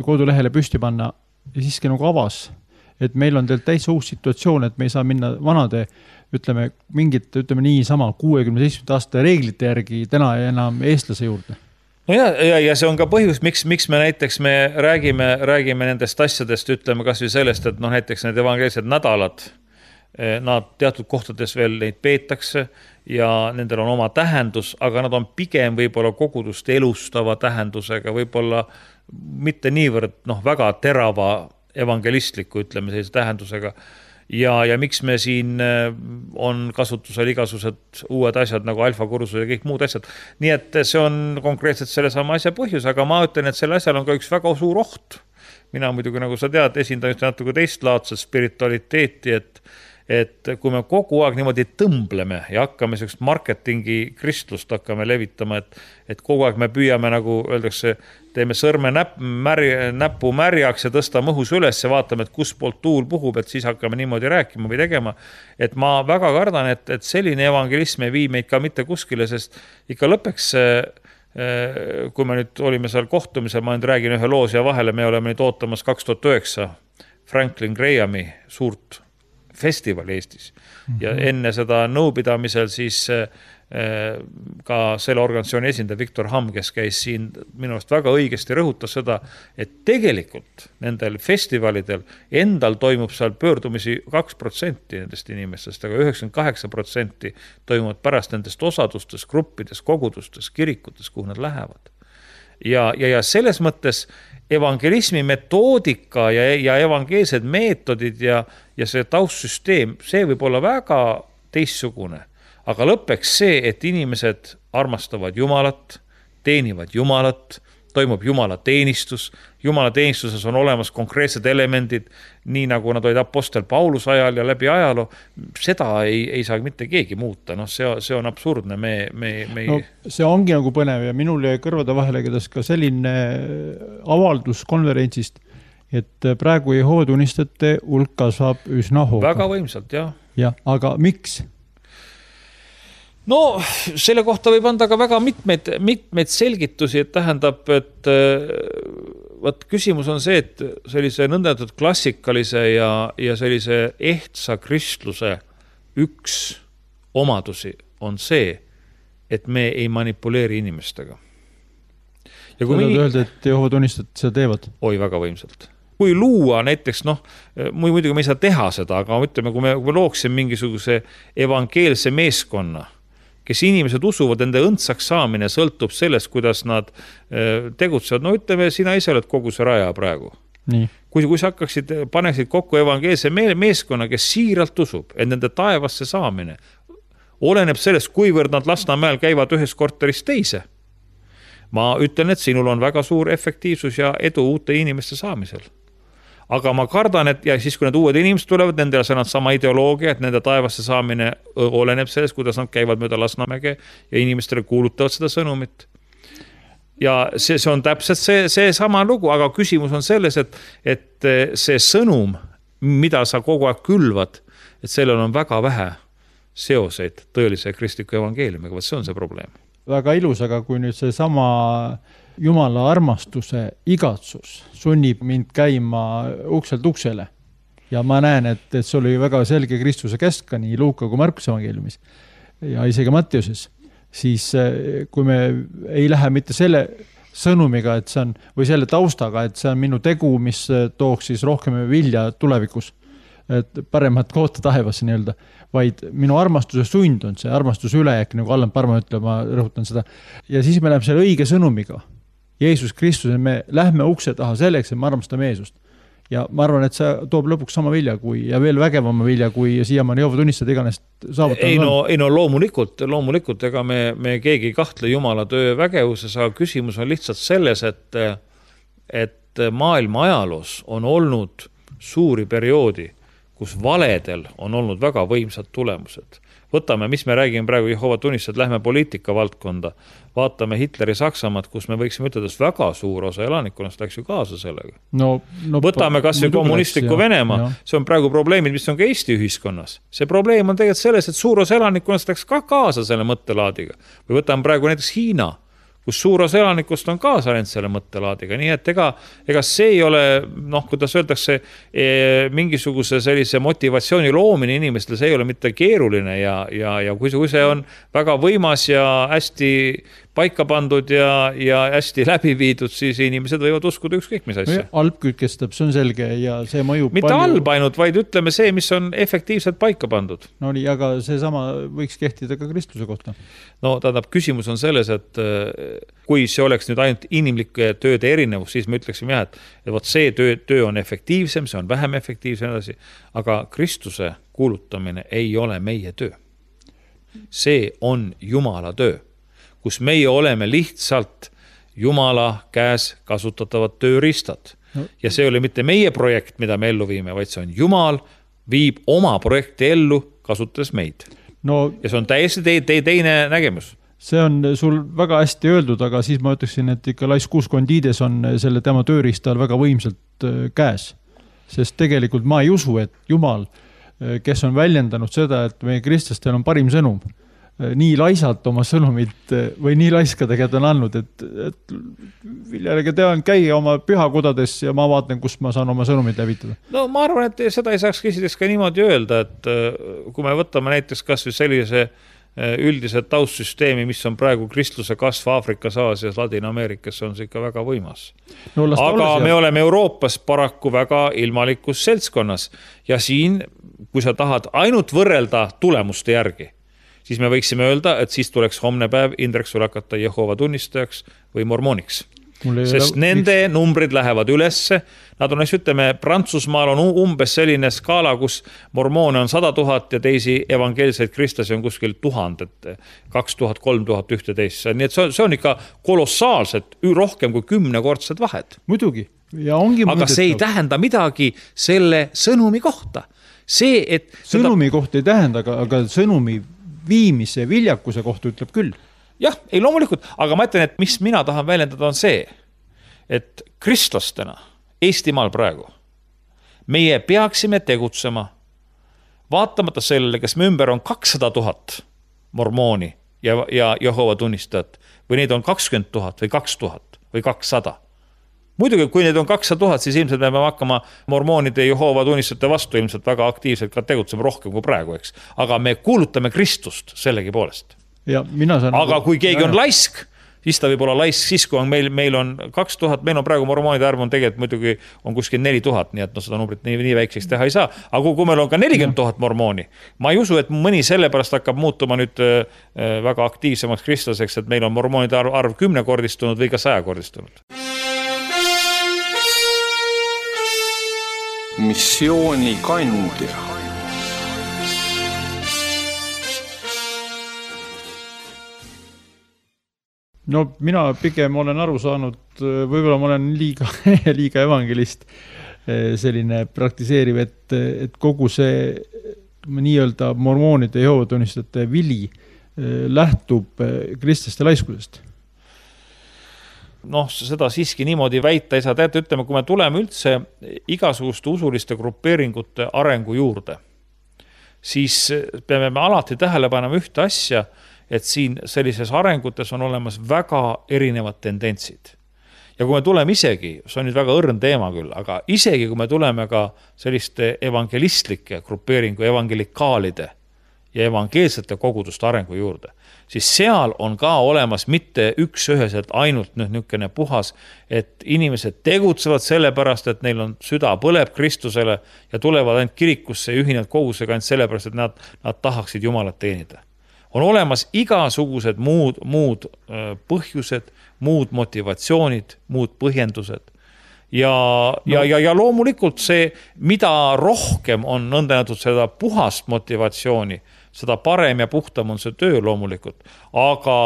kodulehele püsti panna ja siiski nagu avas, et meil on teil täitsa uus situatsioon, et me ei saa minna vanade, ütleme, mingit, ütleme nii sama kuuekümne seitsme aasta reeglite järgi täna enam eestlase juurde. No ja, ja, ja see on ka põhjus, miks, miks me näiteks me räägime, räägime nendest asjadest, ütleme kas või sellest, et noh, näiteks need evangeelsed nädalad, nad teatud kohtades veel neid peetakse ja nendel on oma tähendus, aga nad on pigem võib-olla kogudust elustava tähendusega, võib-olla mitte niivõrd noh, väga terava evangelistliku, ütleme sellise tähendusega. Ja, ja miks me siin on kasutusel igasugused uued asjad nagu alfakursus ja kõik muud asjad. Nii et see on konkreetselt selle sama asja põhjus, aga ma ütlen, et selle asjal on ka üks väga suur oht. Mina muidugi, nagu sa tead, esindan just natuke teistlaadset spiritualiteeti, et et kui me kogu aeg niimoodi tõmbleme ja hakkame sellist marketingi kristlust hakkame levitama, et, et kogu aeg me püüame, nagu öeldakse, teeme sõrme näpp, märi, näppu märjaks ja tõstame õhus üles ja vaatame, et kus poolt tuul puhub, et siis hakkame niimoodi rääkima või tegema. Et ma väga kardan, et, et selline evangelism ei vii meid ka mitte kuskile, sest ikka lõpeks, kui me nüüd olime seal kohtumisel, ma nüüd räägin ühe loos ja vahele, me oleme nüüd ootamas kaks tuhat üheksa Franklin Grahami suurt festival Eestis ja enne seda nõupidamisel siis ka selle organisatsiooni esindaja Viktor Hamm, kes käis siin minu arust väga õigesti rõhutas seda, et tegelikult nendel festivalidel endal toimub seal pöördumisi kaks protsenti nendest inimestest, aga üheksakümmend kaheksa protsenti toimuvad pärast nendest osadustes, gruppides, kogudustes, kirikutes, kuhu nad lähevad. Ja, ja, ja selles mõttes evangelismi metoodika ja, ja evangeelsed meetodid ja, ja see taustsüsteem, see võib olla väga teistsugune. Aga lõppeks see, et inimesed armastavad Jumalat, teenivad Jumalat, toimub Jumala teenistus. Jumala teenistuses on olemas konkreetsed elemendid, nii nagu nad olid apostel Paulus ajal ja läbi ajaloo. Seda ei, ei saa mitte keegi muuta. No, see, see on absurdne. Me, me, me... No, see ongi nagu põnev ja minul jäi kõrvade vahele kädas ka selline avaldus konverentsist, et praegu Jehoova tunnistajate hulk kasvab üsna hooga. Väga võimsalt, jah. Ja, aga miks? No selle kohta võib anda ka väga mitmeid, mitmeid selgitusi, et tähendab, et võt, küsimus on see, et sellise nõndatud klassikalise ja, ja sellise ehtsa kristluse üks omadusi on see, et me ei manipuleeri inimestega. Ja kui mingi... öelda, et Jehoova tunnistajad seda teevad? Oi, väga võimsalt. Kui luua näiteks, noh, muidugi me ei saa teha seda, aga ütleme, kui me, kui me looksime mingisuguse evangeelse meeskonna, kes inimesed usuvad, ende õndsaks saamine sõltub sellest, kuidas nad tegutsevad. No ütleme, sina ise oled kogu see raja praegu. Nii. Kui, kui sa hakkaksid, paneksid kokku evangeelse meeskonna, kes siiralt usub, et nende taevasse saamine oleneb sellest, kuivõrd nad Lasnamäel käivad ühes korteris teise. Ma ütlen, et sinul on väga suur efektiivsus ja edu uute inimeste saamisel. Aga ma kardan, et ja siis kui need uued inimesed tulevad, nendel on sama ideoloogia, et nende taevasse saamine oleneb sellest, kuidas nad käivad mööda Lasnamäge ja inimestele kuulutavad seda sõnumit. Ja see, see on täpselt see, see sama lugu, aga küsimus on selles, et, et see sõnum, mida sa kogu aeg külvad, et sellel on väga vähe seoseid tõelise kristliku evangeeliumiga, see on see probleem. Väga ilus, aga kui nüüd see sama Jumala armastuse igatsus sunnib mind käima ukselt uksele ja ma näen, et, et see oli väga selge Kristuse käsk ka nii Luuka kui Markuse evangeeliumis ja isegi Mattiuses, siis kui me ei lähe mitte selle sõnumiga, et see on, või selle taustaga, et see on minu tegu, mis tooks siis rohkem vilja tulevikus, et paremat koota taevasse nii-öelda, vaid minu armastuse sund on see armastuse ülejääk, nagu Allan Parma ütleb, ma rõhutan seda. Ja siis me läheme selle õige sõnumiga. Jeesus Kristus, me lähme ukse taha selleks, et me armastame Jeesust. Ja ma arvan, et see toob lõpuks sama vilja kui, ja veel vägevama vilja, kui siiamaani Jehoova tunnistajad iganest saavutanud. Ei no, ei no loomulikult, loomulikult, ega me, me keegi ei kahtle Jumala töö vägevuses, aga küsimus on lihtsalt selles, et, et maailma ajaloos on olnud suuri perioodi, kus valedel on olnud väga võimsad tulemused. võtame, mis me räägime praegu Jehova tunnistajad, lähme poliitika valdkonda, vaatame Hitleri Saksamaad, kus me võiksime ütelda, et väga suur osa elanikkonnast läks ju kaasa sellega. No, no, võtame kas või kommunistliku Venemaa, see on praegu probleemid, mis on ka Eesti ühiskonnas. See probleem on tegelikult selles, et suur osa elanikkonnast läks ka kaasa selle mõttelaadiga. Või võtame praegu näiteks Hiina, kus suur osa elanikust on kaasa läinud selle mõttelaadiga. Nii et ega, ega see ei ole, noh, kuidas öeldakse, e, mingisuguse sellise motivatsiooni loomine inimestel, see ei ole mitte keeruline ja, ja, ja kui see on väga võimas ja hästi paika pandud ja, ja hästi läbi viidud, siis inimesed võivad uskuda ükskõik mis asja. Halb kütkestab, see on selge ja see mõjub mitte palju. halb ainult, vaid ütleme see, mis on efektiivselt paika pandud. No nii, aga see sama võiks kehtida ka kristluse kohta. No tähendab, küsimus on selles, et kui see oleks nüüd ainult inimlike tööde erinevus, siis me ütleksime jah, et, et võt see töö, töö on efektiivsem, see on vähem efektiivsem edasi, aga Kristuse kuulutamine ei ole meie töö. See on Jumala töö, kus meie oleme lihtsalt Jumala käes kasutatavad tööriistad. No. Ja see oli mitte meie projekt, mida me ellu viime, vaid see on Jumal viib oma projekti ellu, kasutades meid. No, ja see on täiesti te, te, teine nägemus. See on sul väga hästi öeldud, aga siis ma ütleksin, et ikka Lais Kuuskondiides on selle tema tööriistal väga võimsalt käes. Sest tegelikult ma ei usu, et Jumal, kes on väljendanud seda, et meie kristlastel on parim sõnum, nii laisalt oma sõnumit või nii laiska tegelikult on andnud, et, et viljalega tean käia oma pühakudades ja ma vaatan, kus ma saan oma sõnumit läbitada. No ma arvan, et seda ei saaks käsides ka niimoodi öelda, et kui me võtame näiteks kas või sellise üldise taustsüsteemi, mis on praegu kristluse kasv Aafrikas, Aasias, Ladina-Ameerikas, on see ikka väga võimas. No, aga me ja... oleme Euroopas paraku väga ilmalikus seltskonnas ja siin, kui sa tahad ainult võrrelda tulemuste järgi, siis me võiksime öelda, et siis tuleks homne päev Indrek sul hakata Jehova tunnistajaks või mormooniks. Sest nende miks? Numbrid lähevad ülesse. Nad on, ütleme, Prantsusmaal on umbes selline skaala, kus mormoone on sada tuhat ja teisi evangeelseid kristlasi on kuskil tuhandet, kaks tuhat, kolm tuhat ühteteist. Nii et see on ikka kolossaalselt rohkem kui kümnekordsed vahed. Muidugi. Ja ongi aga mõõdetav. See ei tähenda midagi selle sõnumi kohta. See, et sõnumi seda... kohta ei tähenda, aga, aga sõnumi viimise viljakuse kohta ütleb küll. Jah, ei loomulikult, aga ma ütlen, et mis mina tahan väljendada on see, et kristlastena Eestimaal praegu meie peaksime tegutsema vaatamata sellele, kes me ümber on kakssada tuhat mormooni ja, ja Jehova tunnistajat või neid on kakskümmend tuhat või kaks tuhat või kakssada. Muidugi, kui neid on kakssada tuhat, siis ilmselt me peame hakkama mormoonide Jehova tunnistajate vastu ilmselt väga aktiivselt ka tegutsema rohkem kui praegu, eks. Aga me kuulutame Kristust sellegi poolest. Ja mina saan aga kui keegi on laisk, siis ta võib olla laisk, siis kui on meil, meil on kaks tuhat, meil on praegu mormoonide arv on tegelikult muidugi on kuskil neli tuhat, nii et no seda numbrit nii, nii väikseks teha ei saa. Aga kui meil on ka nelikümmend tuhat mormooni, ma ei usu, et mõni sellepärast hakkab muutuma nüüd väga aktiivsemaks kristlaseks, et meil on mormoonide arv, arv kümnekordistunud või ka sajakordistunud. Missiooni kandja. No mina pigem olen aru saanud, võib-olla ma olen liiga, liiga evangelist selline praktiseeriv, et, et kogu see nii-öelda mormoonide ja Jehova tunnistajate vili lähtub kristlaste laiskusest. Noh, seda siiski niimoodi väita ei saa. Teate, ütleme, kui me tuleme üldse igasuguste usuliste grupeeringute arengu juurde, siis peame me alati tähele panema ühte asja, et siin sellises arengutes on olemas väga erinevad tendentsid. Ja kui me tuleme isegi, see on nüüd väga õrn teema küll, aga isegi kui me tuleme ka selliste evangelistlike grupeeringu evangelikaalide ja evangeelsete koguduste arengu juurde, siis seal on ka olemas mitte üks üheselt ainult niisugune puhas, et inimesed tegutsevad sellepärast, et neil on süda põleb Kristusele ja tulevad ainult kirikusse ja ühinevad kogusega ainult sellepärast, et nad, nad tahaksid Jumalat teenida. On olemas igasugused muud, muud põhjused, muud motivatsioonid, muud põhjendused. Ja, no. ja, ja, ja loomulikult see, mida rohkem on nõndanäitud seda puhast motivatsiooni, seda parem ja puhtam on see töö loomulikult. Aga,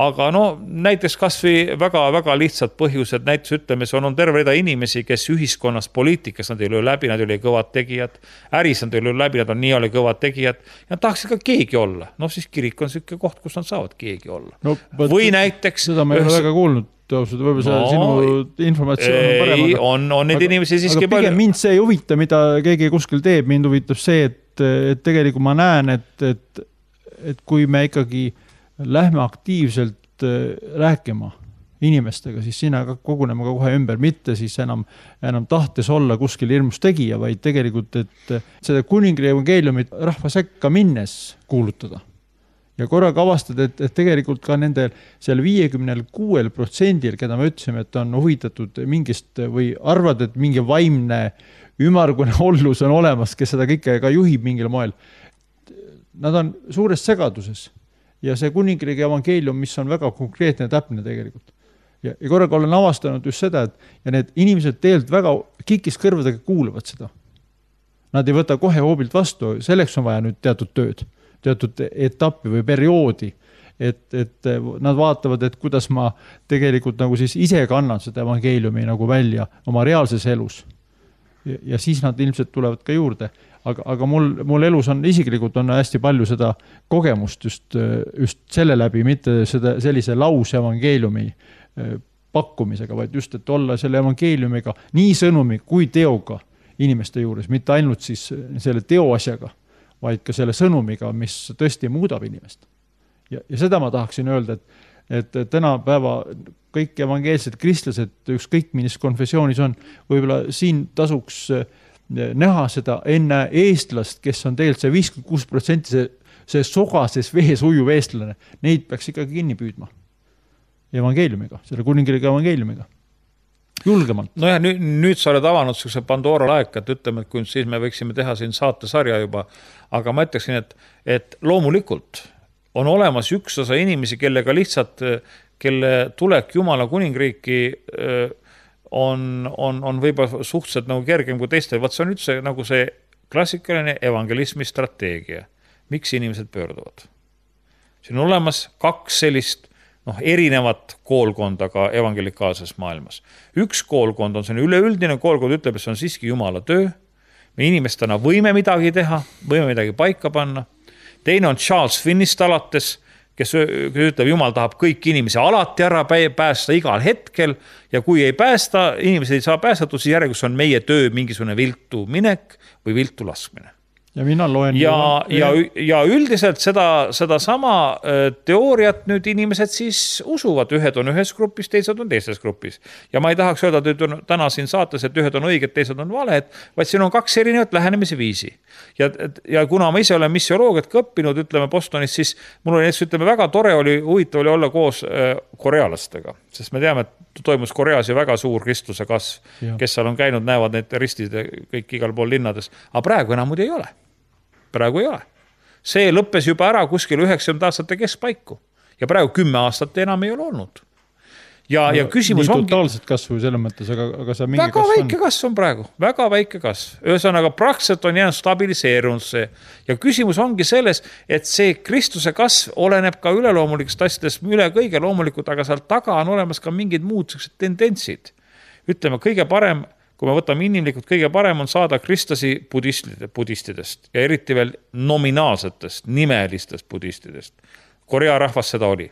aga no näiteks kasvõi väga-väga lihtsad põhjused, näiteks ütleme, see on, on terve rida inimesi, kes ühiskonnas poliitikas, nad ei löö läbi, nad ei ole kõvad tegijad, äris nad ei löö läbi, nad on nii ole kõvad tegijad ja nad tahaksid ka keegi olla. No siis kirik on selline koht, kus nad saavad keegi olla. No, või näiteks... Seda ma ei ole väga kuulnud. Võib-olla no, sinu informatsioon on parem. Ei, on, on neid aga, inimesi siiski aga pigem mind see ei huvita, mida keegi kuskil teeb. Mind huvitab see, et, et tegelikult ma näen, et, et, et kui me ikkagi lähme aktiivselt rääkima inimestega, siis sinna koguneme ka kohe ümber, mitte siis enam, enam tahtes olla kuskil hirmus tegija, vaid tegelikult, et seda kuningri evangeeliumit rahva sekka minnes kuulutada. Ja korraga avastad, et, et tegelikult ka nendel seal viiekümne kuue protsendil, keda me ütlesime, et on huvitatud mingist või arvad, et mingi vaimne ümargune ollus on olemas, kes seda kõike ka juhib mingil moel. Nad on suures segaduses ja see kuningriigi evangeelium, mis on väga konkreetne ja täpne tegelikult. Ja, ja korraga olen avastanud just seda, et ja need inimesed tegelikult väga kikis kõrvadega kuulavad seda. Nad ei võta kohe hoobilt vastu, selleks on vaja nüüd teatud tööd. Teatud etappi või perioodi, et, et nad vaatavad, et kuidas ma tegelikult nagu siis ise kannan seda evangeeliumi nagu välja oma reaalses elus. Ja, ja siis nad ilmselt tulevad ka juurde. Aga, aga mul, mul elus on isiklikult on hästi palju seda kogemust just, just selle läbi, mitte seda, sellise laus evangeeliumi pakkumisega, vaid just, et olla selle evangeeliumiga nii sõnumi kui teoga inimeste juures, mitte ainult siis selle teoasjaga, vaid ka selle sõnumiga, mis tõesti muudab inimest. Ja, ja seda ma tahaksin öelda, et, et tänapäeva kõik evangeelsed kristlased, ükskõik milles konfessioonis on, võib-olla siin tasuks näha seda enne eestlast, kes on tegelikult see viiskümmend kuus protsenti see, see sogases vees ujuv eestlane, neid peaks ikkagi kinni püüdma evangeeliumiga, selle kuningriigi evangeeliumiga. Julgemalt. No ja nüüd, nüüd sa oled avanud sellise Pandora laek, et ütleme, et kui siis me võiksime teha siin saatesarja juba, aga ma ütleksin, et, et loomulikult on olemas üks osa inimesi, kellega lihtsalt, kelle tulek Jumala kuningriiki on, on, on võib-olla suhteliselt nagu kergem kui teistel. Vaat see on üldse nagu see klassikaline evangelismi strateegia. Miks inimesed pöörduvad? Siin on olemas kaks sellist noh, erinevat koolkonda ka evangelikaalses maailmas. Üks koolkond on see üleüldine koolkond, ütleb, et see on siiski Jumala töö. Me inimestena võime midagi teha, võime midagi paika panna. Teine on Charles Finnist alates, kes, kes ütleb, Jumal tahab kõik inimesi alati ära päästa igal hetkel ja kui ei päästa, inimesed ei saa päästatud, siis järgus on meie töö mingisugune viltu minek või viltu laskmine. Ja mina loen... Ja, ja, ja üldiselt seda, seda sama teooriat nüüd inimesed siis usuvad. Ühed on ühes grupis, teised on teises grupis. Ja ma ei tahaks öelda, et on täna siin saates, et ühed on õiged, teised on valed, vaid siin on kaks erinevat lähenemise viisi. Ja, ja kuna ma ise olen missioloogiat õppinud, ütleme Bostonis, siis mul oli, ütleme, väga tore oli, huvitav oli olla koos korealastega. Sest me teame, et toimus Koreas ju väga suur kristluse kasv. Ja. Kes seal on käinud, näevad need ristid kõik igal pool linnades. Aga praegu enam muud ei ole. Praegu ei ole. See lõppes juba ära kuskil üheksakümnendate aastate keskpaiku. Ja praegu kümme aastat enam ei ole olnud. Ja, no, ja küsimus nii ongi... Nii totaalselt kasvu selles mõttes, aga, aga see mingi väga kasv väike on... kasv on praegu. Väga väike kasv. Ühesõnaga, praktiliselt on jäänud stabiliseerunud see. Ja küsimus ongi selles, et see Kristuse kasv oleneb ka üleloomulikust asjadest üle kõige loomulikult, aga seal taga on olemas ka mingid muud tendentsid. Ütleme, kõige parem... Kui me võtame inimlikult, kõige parem on saada kristlasi budistidest ja eriti veel nominaalsetest, nimelistest budistidest. Korea rahvas seda oli.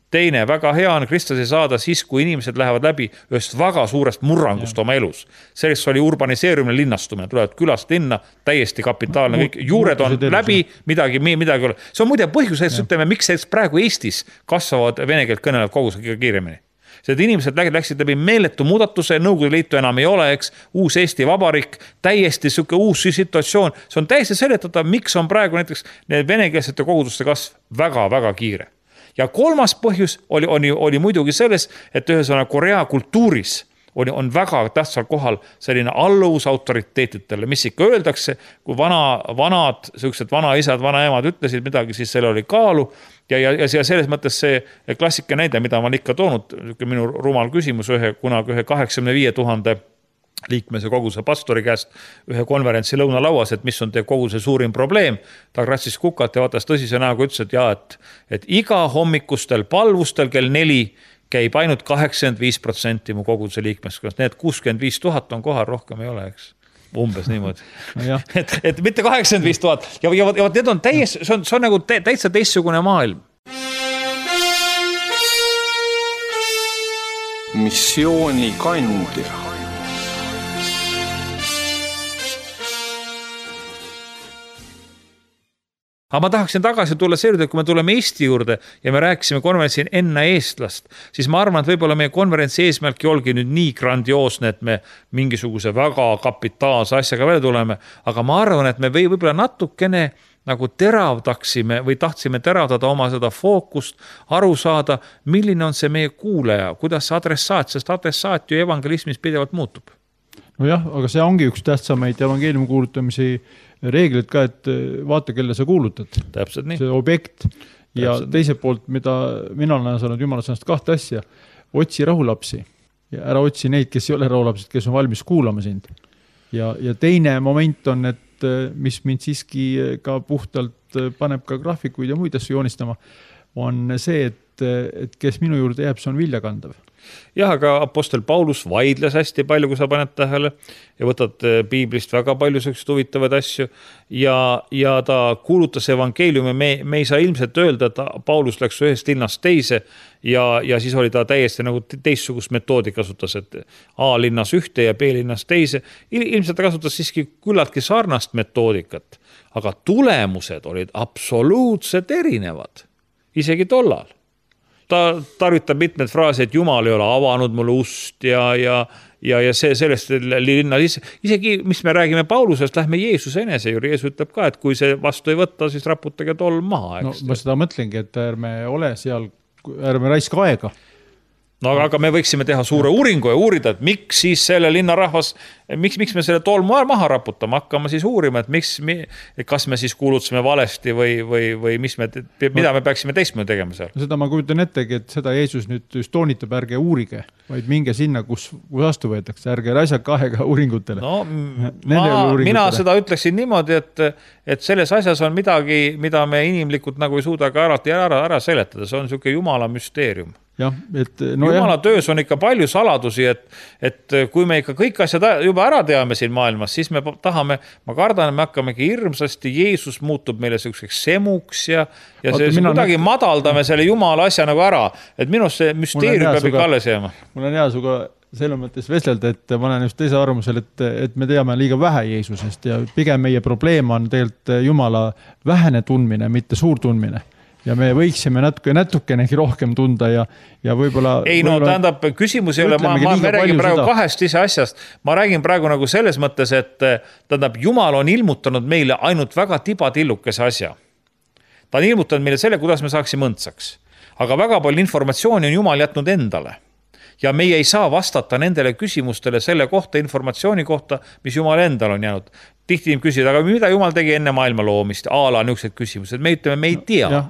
Teine, väga hea on kristlasi saada siis, kui inimesed lähevad läbi ühest väga suurest murrangust ja. Oma elus. Sellest oli urbaniseerumine, linnastumine, tulevad külast linna, täiesti kapitaalne, kõik juured on läbi, midagi, midagi ole. See on muide põhjus, et ütleme, miks praegu Eestis kasvavad vene keelt kõnelevad kogused kiiremini. Sest inimesed läksid läbi meeletu muudatuse, Nõukogude Liitu enam ei ole, eks, uus Eesti Vabariik, täiesti süke uus situatsioon. See on täiesti seletatav, miks on praegu näiteks need venekeelsete koguduste kasv väga-väga kiire. Ja kolmas põhjus oli, oli, oli muidugi selles, et ühesõnaga Korea kultuuris oli, on väga tähtsal kohal selline alluvus autoriteetidele, mis ikka öeldakse, kui vana, vanad, sellised vanaisad, vanaemad ütlesid midagi, siis selle oli kaalu. Ja, ja, ja selles mõttes see klassika näide, mida ma olen ikka toonud, minu rumal küsimus ühe, kunagi ühe kaheksakümne viie tuhande liikmese koguse pastori käest ühe konverentsi lõunalauas, et mis on teie koguse suurim probleem. Ta kratsis kukalt ja vaatas tõsise näoga, ütles, et, ja, et, et iga hommikustel palvustel kell neli käib ainult kaheksakümmend viis protsenti mu koguse liikmeskonnast. Need kuuskümmend viis tuhat on kohal, rohkem ei ole, eks. Umbes niimoodi. No et, et mitte kaheksakümmend viis tuhat. Ja, ja, ja need on täies, see on, see on nagu täitsa teistsugune maailm. Missioonikandja. Aga ma tahaksin tagasi tulla seejuurde, kui me tuleme Eesti juurde ja me rääkisime konverentsil enne eestlast, siis ma arvan, et võib-olla meie konverentsi eesmärk olgi nüüd nii grandioosne, et me mingisuguse väga kapitaalse asjaga välja tuleme, aga ma arvan, et me või võib-olla natukene nagu teravdaksime või tahtsime teravdada oma seda fookust, aru saada, milline on see meie kuuleja, kuidas see adressaat, sest adressaat ju evangelismis pidevalt muutub. No jah, aga see ongi üks tähtsamaid evangeeliumi kuulutamise reeglid ka, et vaata, kelle sa kuulutad. Täpselt nii. See objekt. Ja Täpselt teiselt poolt, mida mina olen saanud Jumala sõnast kahte asja, otsi rahulapsi ja ära otsi neid, kes ei ole rahulapsed, kes on valmis kuulama sind. Ja, ja teine moment on, et mis mind siiski ka puhtalt paneb ka graafikuid ja muid asju joonistama, on see, et, et kes minu juurde jääb, see on viljakandav. Jah, aga apostel Paulus vaidles hästi palju, kui sa paned tähele ja võtad piiblist väga palju sellised huvitavad asju ja, ja ta kuulutas evangeeliumi. Me, me ei saa ilmselt öelda, et Paulus läks ühest linnast teise ja, ja siis oli ta täiesti nagu teistsugust metoodi kasutas, et A linnas ühte ja B linnas teise. Ilmselt ta kasutas siiski küllaltki sarnast metoodikat, aga tulemused olid absoluutselt erinevad, isegi tollal. Ta tarvitab mitmed fraasi, et Jumal ei ole avanud mulle ust ja, ja, ja, ja see sellest linna isegi, mis me räägime Paulusest, lähme Jeesuse enese juurde. Jeesus ütleb ka, et kui see vastu ei võtta, siis raputage tolm maha. No, ma seda mõtlengi, et ärme ole seal, ärme raiska aega. No aga me võiksime teha suure uuringu ja uurida, et miks siis selle linna rahvas, miks, miks me selle tolmu maha raputama hakkama siis uurima, et miks, kas me siis kuulutasime valesti või, või, või mis me, mida me peaksime teistmoodi tegema seal? Seda ma kujutan ettegi, et seda Jeesus nüüd just toonitab, ärge uurige, vaid minge sinna, kus, kus vastu võetakse, ärge raisaka aega uuringutele. No, ma, mina seda ütleksin niimoodi, et, et selles asjas on midagi, mida me inimlikult nagu ei suuda ka ära, ära, ära seletada, see on niisugune Jumala müsteerium. Ja, et, no Jumala jah. Töös on ikka palju saladusi, et, et kui me ikka kõik asjad juba ära teame siin maailmas, siis me tahame, ma kardan, me hakkamegi hirmsasti, Jeesus muutub meile selliseks semuks ja, ja see, see kuidagi nüüd... madaldame selle Jumala asja nagu ära, et minust see müsteerium peab ikka alles jääma. Mul on hea suga selle mõttes vestelda, et ma olen just teise arvamusel, et, et me teame liiga vähe Jeesusest ja pigem meie probleem on tegelikult Jumala vähene tundmine, mitte suur tundmine. Ja me võiksime natuke, natukenegi rohkem tunda ja, ja võib-olla... Ei, no võib tähendab, küsimus ei ole, ma, ma, me räägin praegu seda. kahest ise asjast. Ma räägin praegu nagu selles mõttes, et tähendab, Jumal on ilmutanud meile ainult väga tibatillukese asja. Ta on ilmutanud meile selle, kuidas me saaksime õndsaks. Aga väga palju informatsiooni on Jumal jätnud endale. Ja meie ei saa vastata nendele küsimustele selle kohta, informatsiooni kohta, mis Jumal endal on jäänud. Tihti küsida, aga mida Jumal tegi enne maailma loomist? Aala niisugused küsimused. Me ütleme, me ei tea. Ja.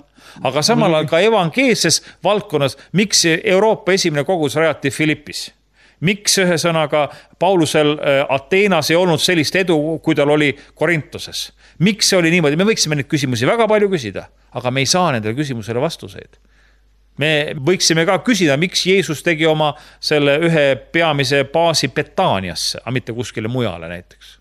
Aga samal ajal ka evangeelses valdkonnas, miks Euroopa esimene kogus rajati Filippis? Miks ühesõnaga Paulusel Ateenas ei olnud sellist edu, kui tal oli Korintoses? Miks see oli niimoodi? Me võiksime neid küsimusi väga palju küsida, aga me ei saa nendele küsimusele vastuseid. Me võiksime ka küsida, miks Jeesus tegi oma selle ühe peamise baasi Betaaniasse, aga mitte kuskile mujale näiteks.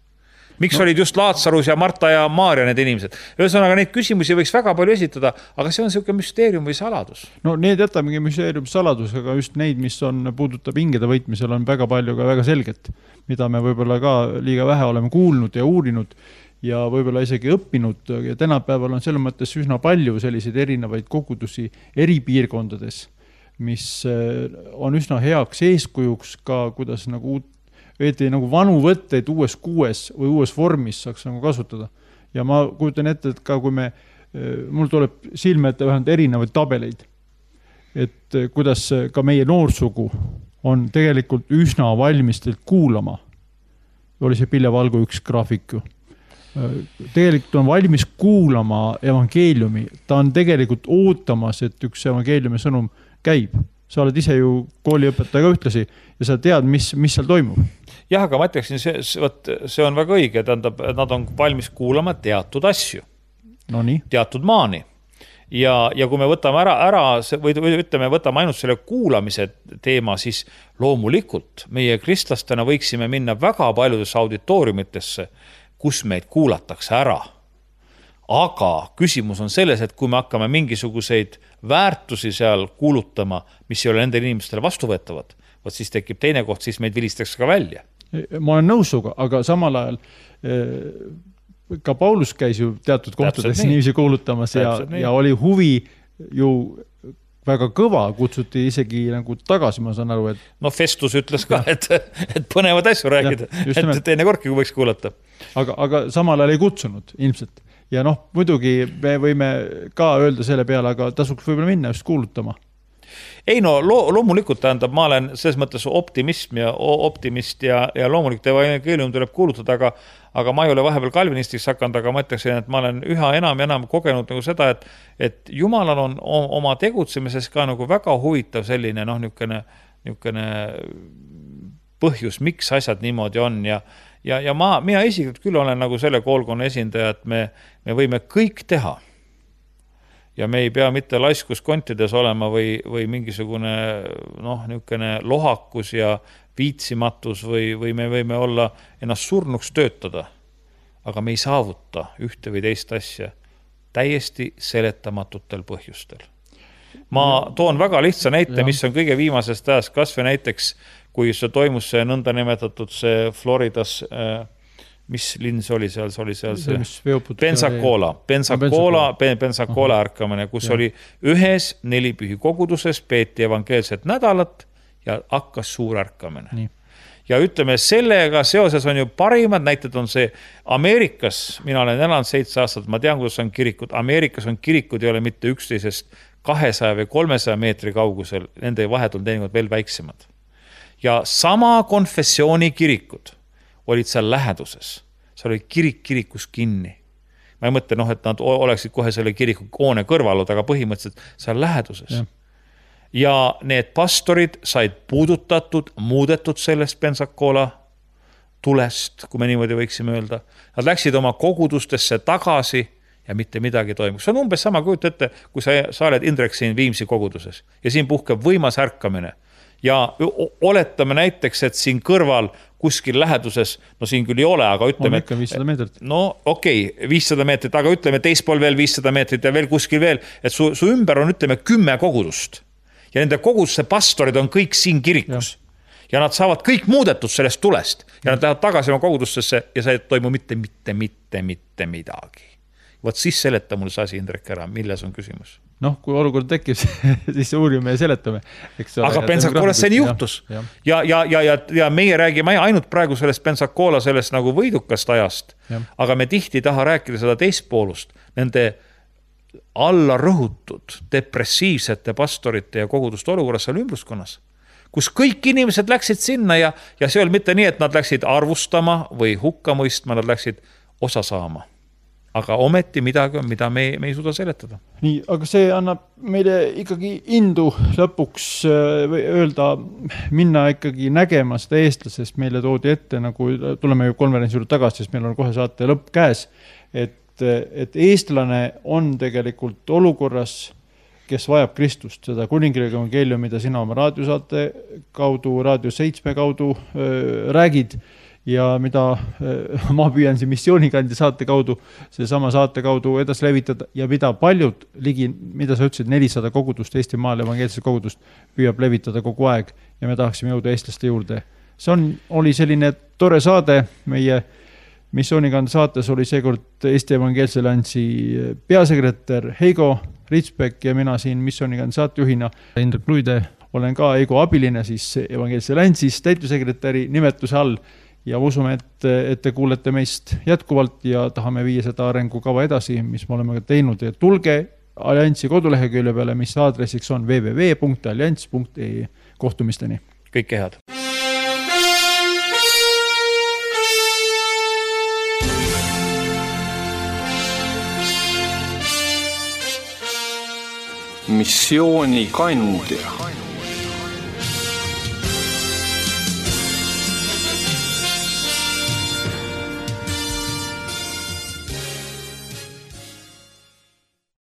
Miks no. olid just Laatsarus ja Marta ja Maaria need inimesed? Ühesõnaga, neid küsimusi võiks väga palju esitada, aga see on selline müsteerium või saladus. No need jätamegi müsteerium saladus, aga just neid, mis on, puudutab hingede võitmisel, on väga palju ka väga selget, mida me võib-olla ka liiga vähe oleme kuulnud ja uurinud ja võib-olla isegi õppinud. Ja tänapäeval on selles mõttes üsna palju selliseid erinevaid kogudusi eri piirkondades, mis on üsna heaks eeskujuks ka, kuidas nagu uut veeti nagu vanu võtteid uues kuues või uues vormis saaks nagu kasutada. Ja ma kujutan ette, et ka kui me, mul tuleb silme ette vähemalt erinevaid tabeleid, et kuidas ka meie noorsugu on tegelikult üsna valmistelt kuulama. Oli see Pille Valgu üks graafik. Tegelikult on valmis kuulama evangeeliumi. Ta on tegelikult ootamas, et üks evangeeliumi sõnum käib. sa oled ise ju kooliõpetaja ka ühtlasi ja sa tead, mis, mis seal toimub. Jah, aga ma ütleksin, see, see on väga õige, tähendab, nad on valmis kuulama teatud asju. No nii. Teatud maani. Ja, ja kui me võtame ära, ära või, või ütleme, võtame ainult selle kuulamise teema, siis loomulikult meie kristlastena võiksime minna väga paljudesse auditooriumitesse, kus meid kuulatakse ära. Aga küsimus on selles, et kui me hakkame mingisuguseid väärtusi seal kuulutama, mis ei ole nendele inimestele vastuvõetavad, võt siis tekib teine koht, siis meid vilistakse ka välja. Ma olen nõus suga, aga samal ajal ka Paulus käis ju teatud kohtades inimesi kuulutamas ja, ja oli huvi ju väga kõva, kutsuti isegi nagu tagasi, ma saan aru, et... No Festus ütles ka, et, et põnevad asju rääkida, ja, et teine kordki, kui võiks kuulata. Aga, aga samal ajal ei kutsunud ilmselt. Ja noh, muidugi me võime ka öelda selle peale, aga tasuks võib-olla minna just kuulutama. Ei no lo, loomulikult tähendab, ma olen selles mõttes optimism ja optimist ja, ja loomulikult evangeelium tuleb kuulutada, aga, aga ma ei ole vahepeal kalvinistiks hakanud, aga ma ütleksin, et ma olen üha enam ja enam kogenud nagu seda, et, et Jumalal on oma tegutsemises ka nagu väga huvitav selline noh, niukene, niukene põhjus, miks asjad niimoodi on ja, ja, ja ma, mina isiklikult küll olen nagu selle koolkonna esindaja, et me, me võime kõik teha. Ja me ei pea mitte laiskus kontides olema või, või mingisugune noh, niukene lohakus ja viitsimatus või, või me võime olla ennast surnuks töötada, aga me ei saavuta ühte või teist asja täiesti seletamatutel põhjustel. Ma toon väga lihtsa näite, mis on kõige viimasest ajast, kas või näiteks, kui see toimus see nõnda nimetatud see Floridas äh, mis linn see oli seal, see oli seal see, see Pensacola, Pensacola, Pensacola ärkamine, kus ja. Oli ühes nelipühi koguduses, peeti evangeelset nädalat ja hakkas suur ärkamine. Nii. Ja ütleme, sellega seoses on ju parimad näited on see Ameerikas, mina olen elanud seitse aastat, ma tean, kuidas on kirikud, Ameerikas on kirikud, ei ole mitte üksteisest kahesaja või kolmesaja meetri kaugusel, nende vahed on teinud veel väiksemad. Ja sama konfessiooni kirikud olid seal läheduses. See oli kirik kirikus kinni. Ma ei mõtle, noh, et nad oleksid kohe selle kiriku koone kõrvalud, aga põhimõtteliselt seal läheduses. Ja. ja need pastorid said puudutatud, muudetud sellest Pensacola tulest, kui me niimoodi võiksime öelda. Nad läksid oma kogudustesse tagasi ja mitte midagi toimub. See on umbes sama kujut ette, kui sa, sa oled Indrek siin Viimsi koguduses ja siin puhkeb võimas ärkamine. Ja oletame näiteks, et siin kõrval kuskil läheduses, no siin küll ei ole, aga ütleme... On ikka viissada meetrit. No okei, okay, viissada meetrit, aga ütleme teispool veel viissada meetrit ja veel kuskil veel, et su, su ümber on, ütleme, kümme kogudust. Ja nende kogudusse pastorid on kõik siin kirikus. Ja, ja nad saavad kõik muudetud sellest tulest. Ja nad lähevad tagasi oma kogudustesse ja see ei toimu mitte, mitte, mitte, mitte midagi. Võt siis seleta mul see asi, Indrek, ära, milles on küsimus? Noh, kui olukord tekib, siis uurime ja seletame. Eks ole, aga Pensacolas see juhtus. Ja, ja, ja, ja, ja, ja meie räägime ainult praegu sellest Pensacola sellest nagu võidukast ajast, ja. Aga me tihti taha rääkida seda teispoolust, nende alla rõhutud depressiivsete pastorite ja koguduste olukorras seal ümbruskonnas, kus kõik inimesed läksid sinna ja, ja see oli mitte nii, et nad läksid arvustama või hukka mõistma, nad läksid osa saama. Aga ometi midagi on, mida me, me ei suuda seletada. Nii, aga see annab meile ikkagi indu lõpuks öelda, minna ikkagi nägema seda eestlasest, meile toodi ette, nagu tuleme ju konverentsi juurde tagasi, sest meil on kohe saate lõpp käes, et, et eestlane on tegelikult olukorras, kes vajab Kristust, seda kuningriigi evangeeliumi, mida sina oma raadiosaate kaudu, raadio seitsme kaudu öö, räägid, ja mida ma püüan siin missioonikandi saate kaudu, see sama saate kaudu edasi levitada ja mida paljud ligi, mida sa ütlesid, nelisada kogudust Eestimaal, evangeelset kogudust püüab levitada kogu aeg ja me tahaksime jõuda eestlaste juurde. See on, oli selline tore saade, meie missioonikandi saates oli seekord Eesti Evangeelse Alliansi peasekretär Heigo Ritsbek ja mina siin missioonikandi saatejuhina Indrek Luide, olen ka Heigo abiline siis Evangeelse Alliansis täitevsekretäri nimetuse all. Ja usume, et, et te kuulete meist jätkuvalt ja tahame viia seda arengukava edasi, mis me oleme teinud. Ja tulge Alliansi kodulehekülje peale, mis aadressiks on w w w punkt allianss punkt e e. Kohtumisteni. Kõike head. Missioonikandja.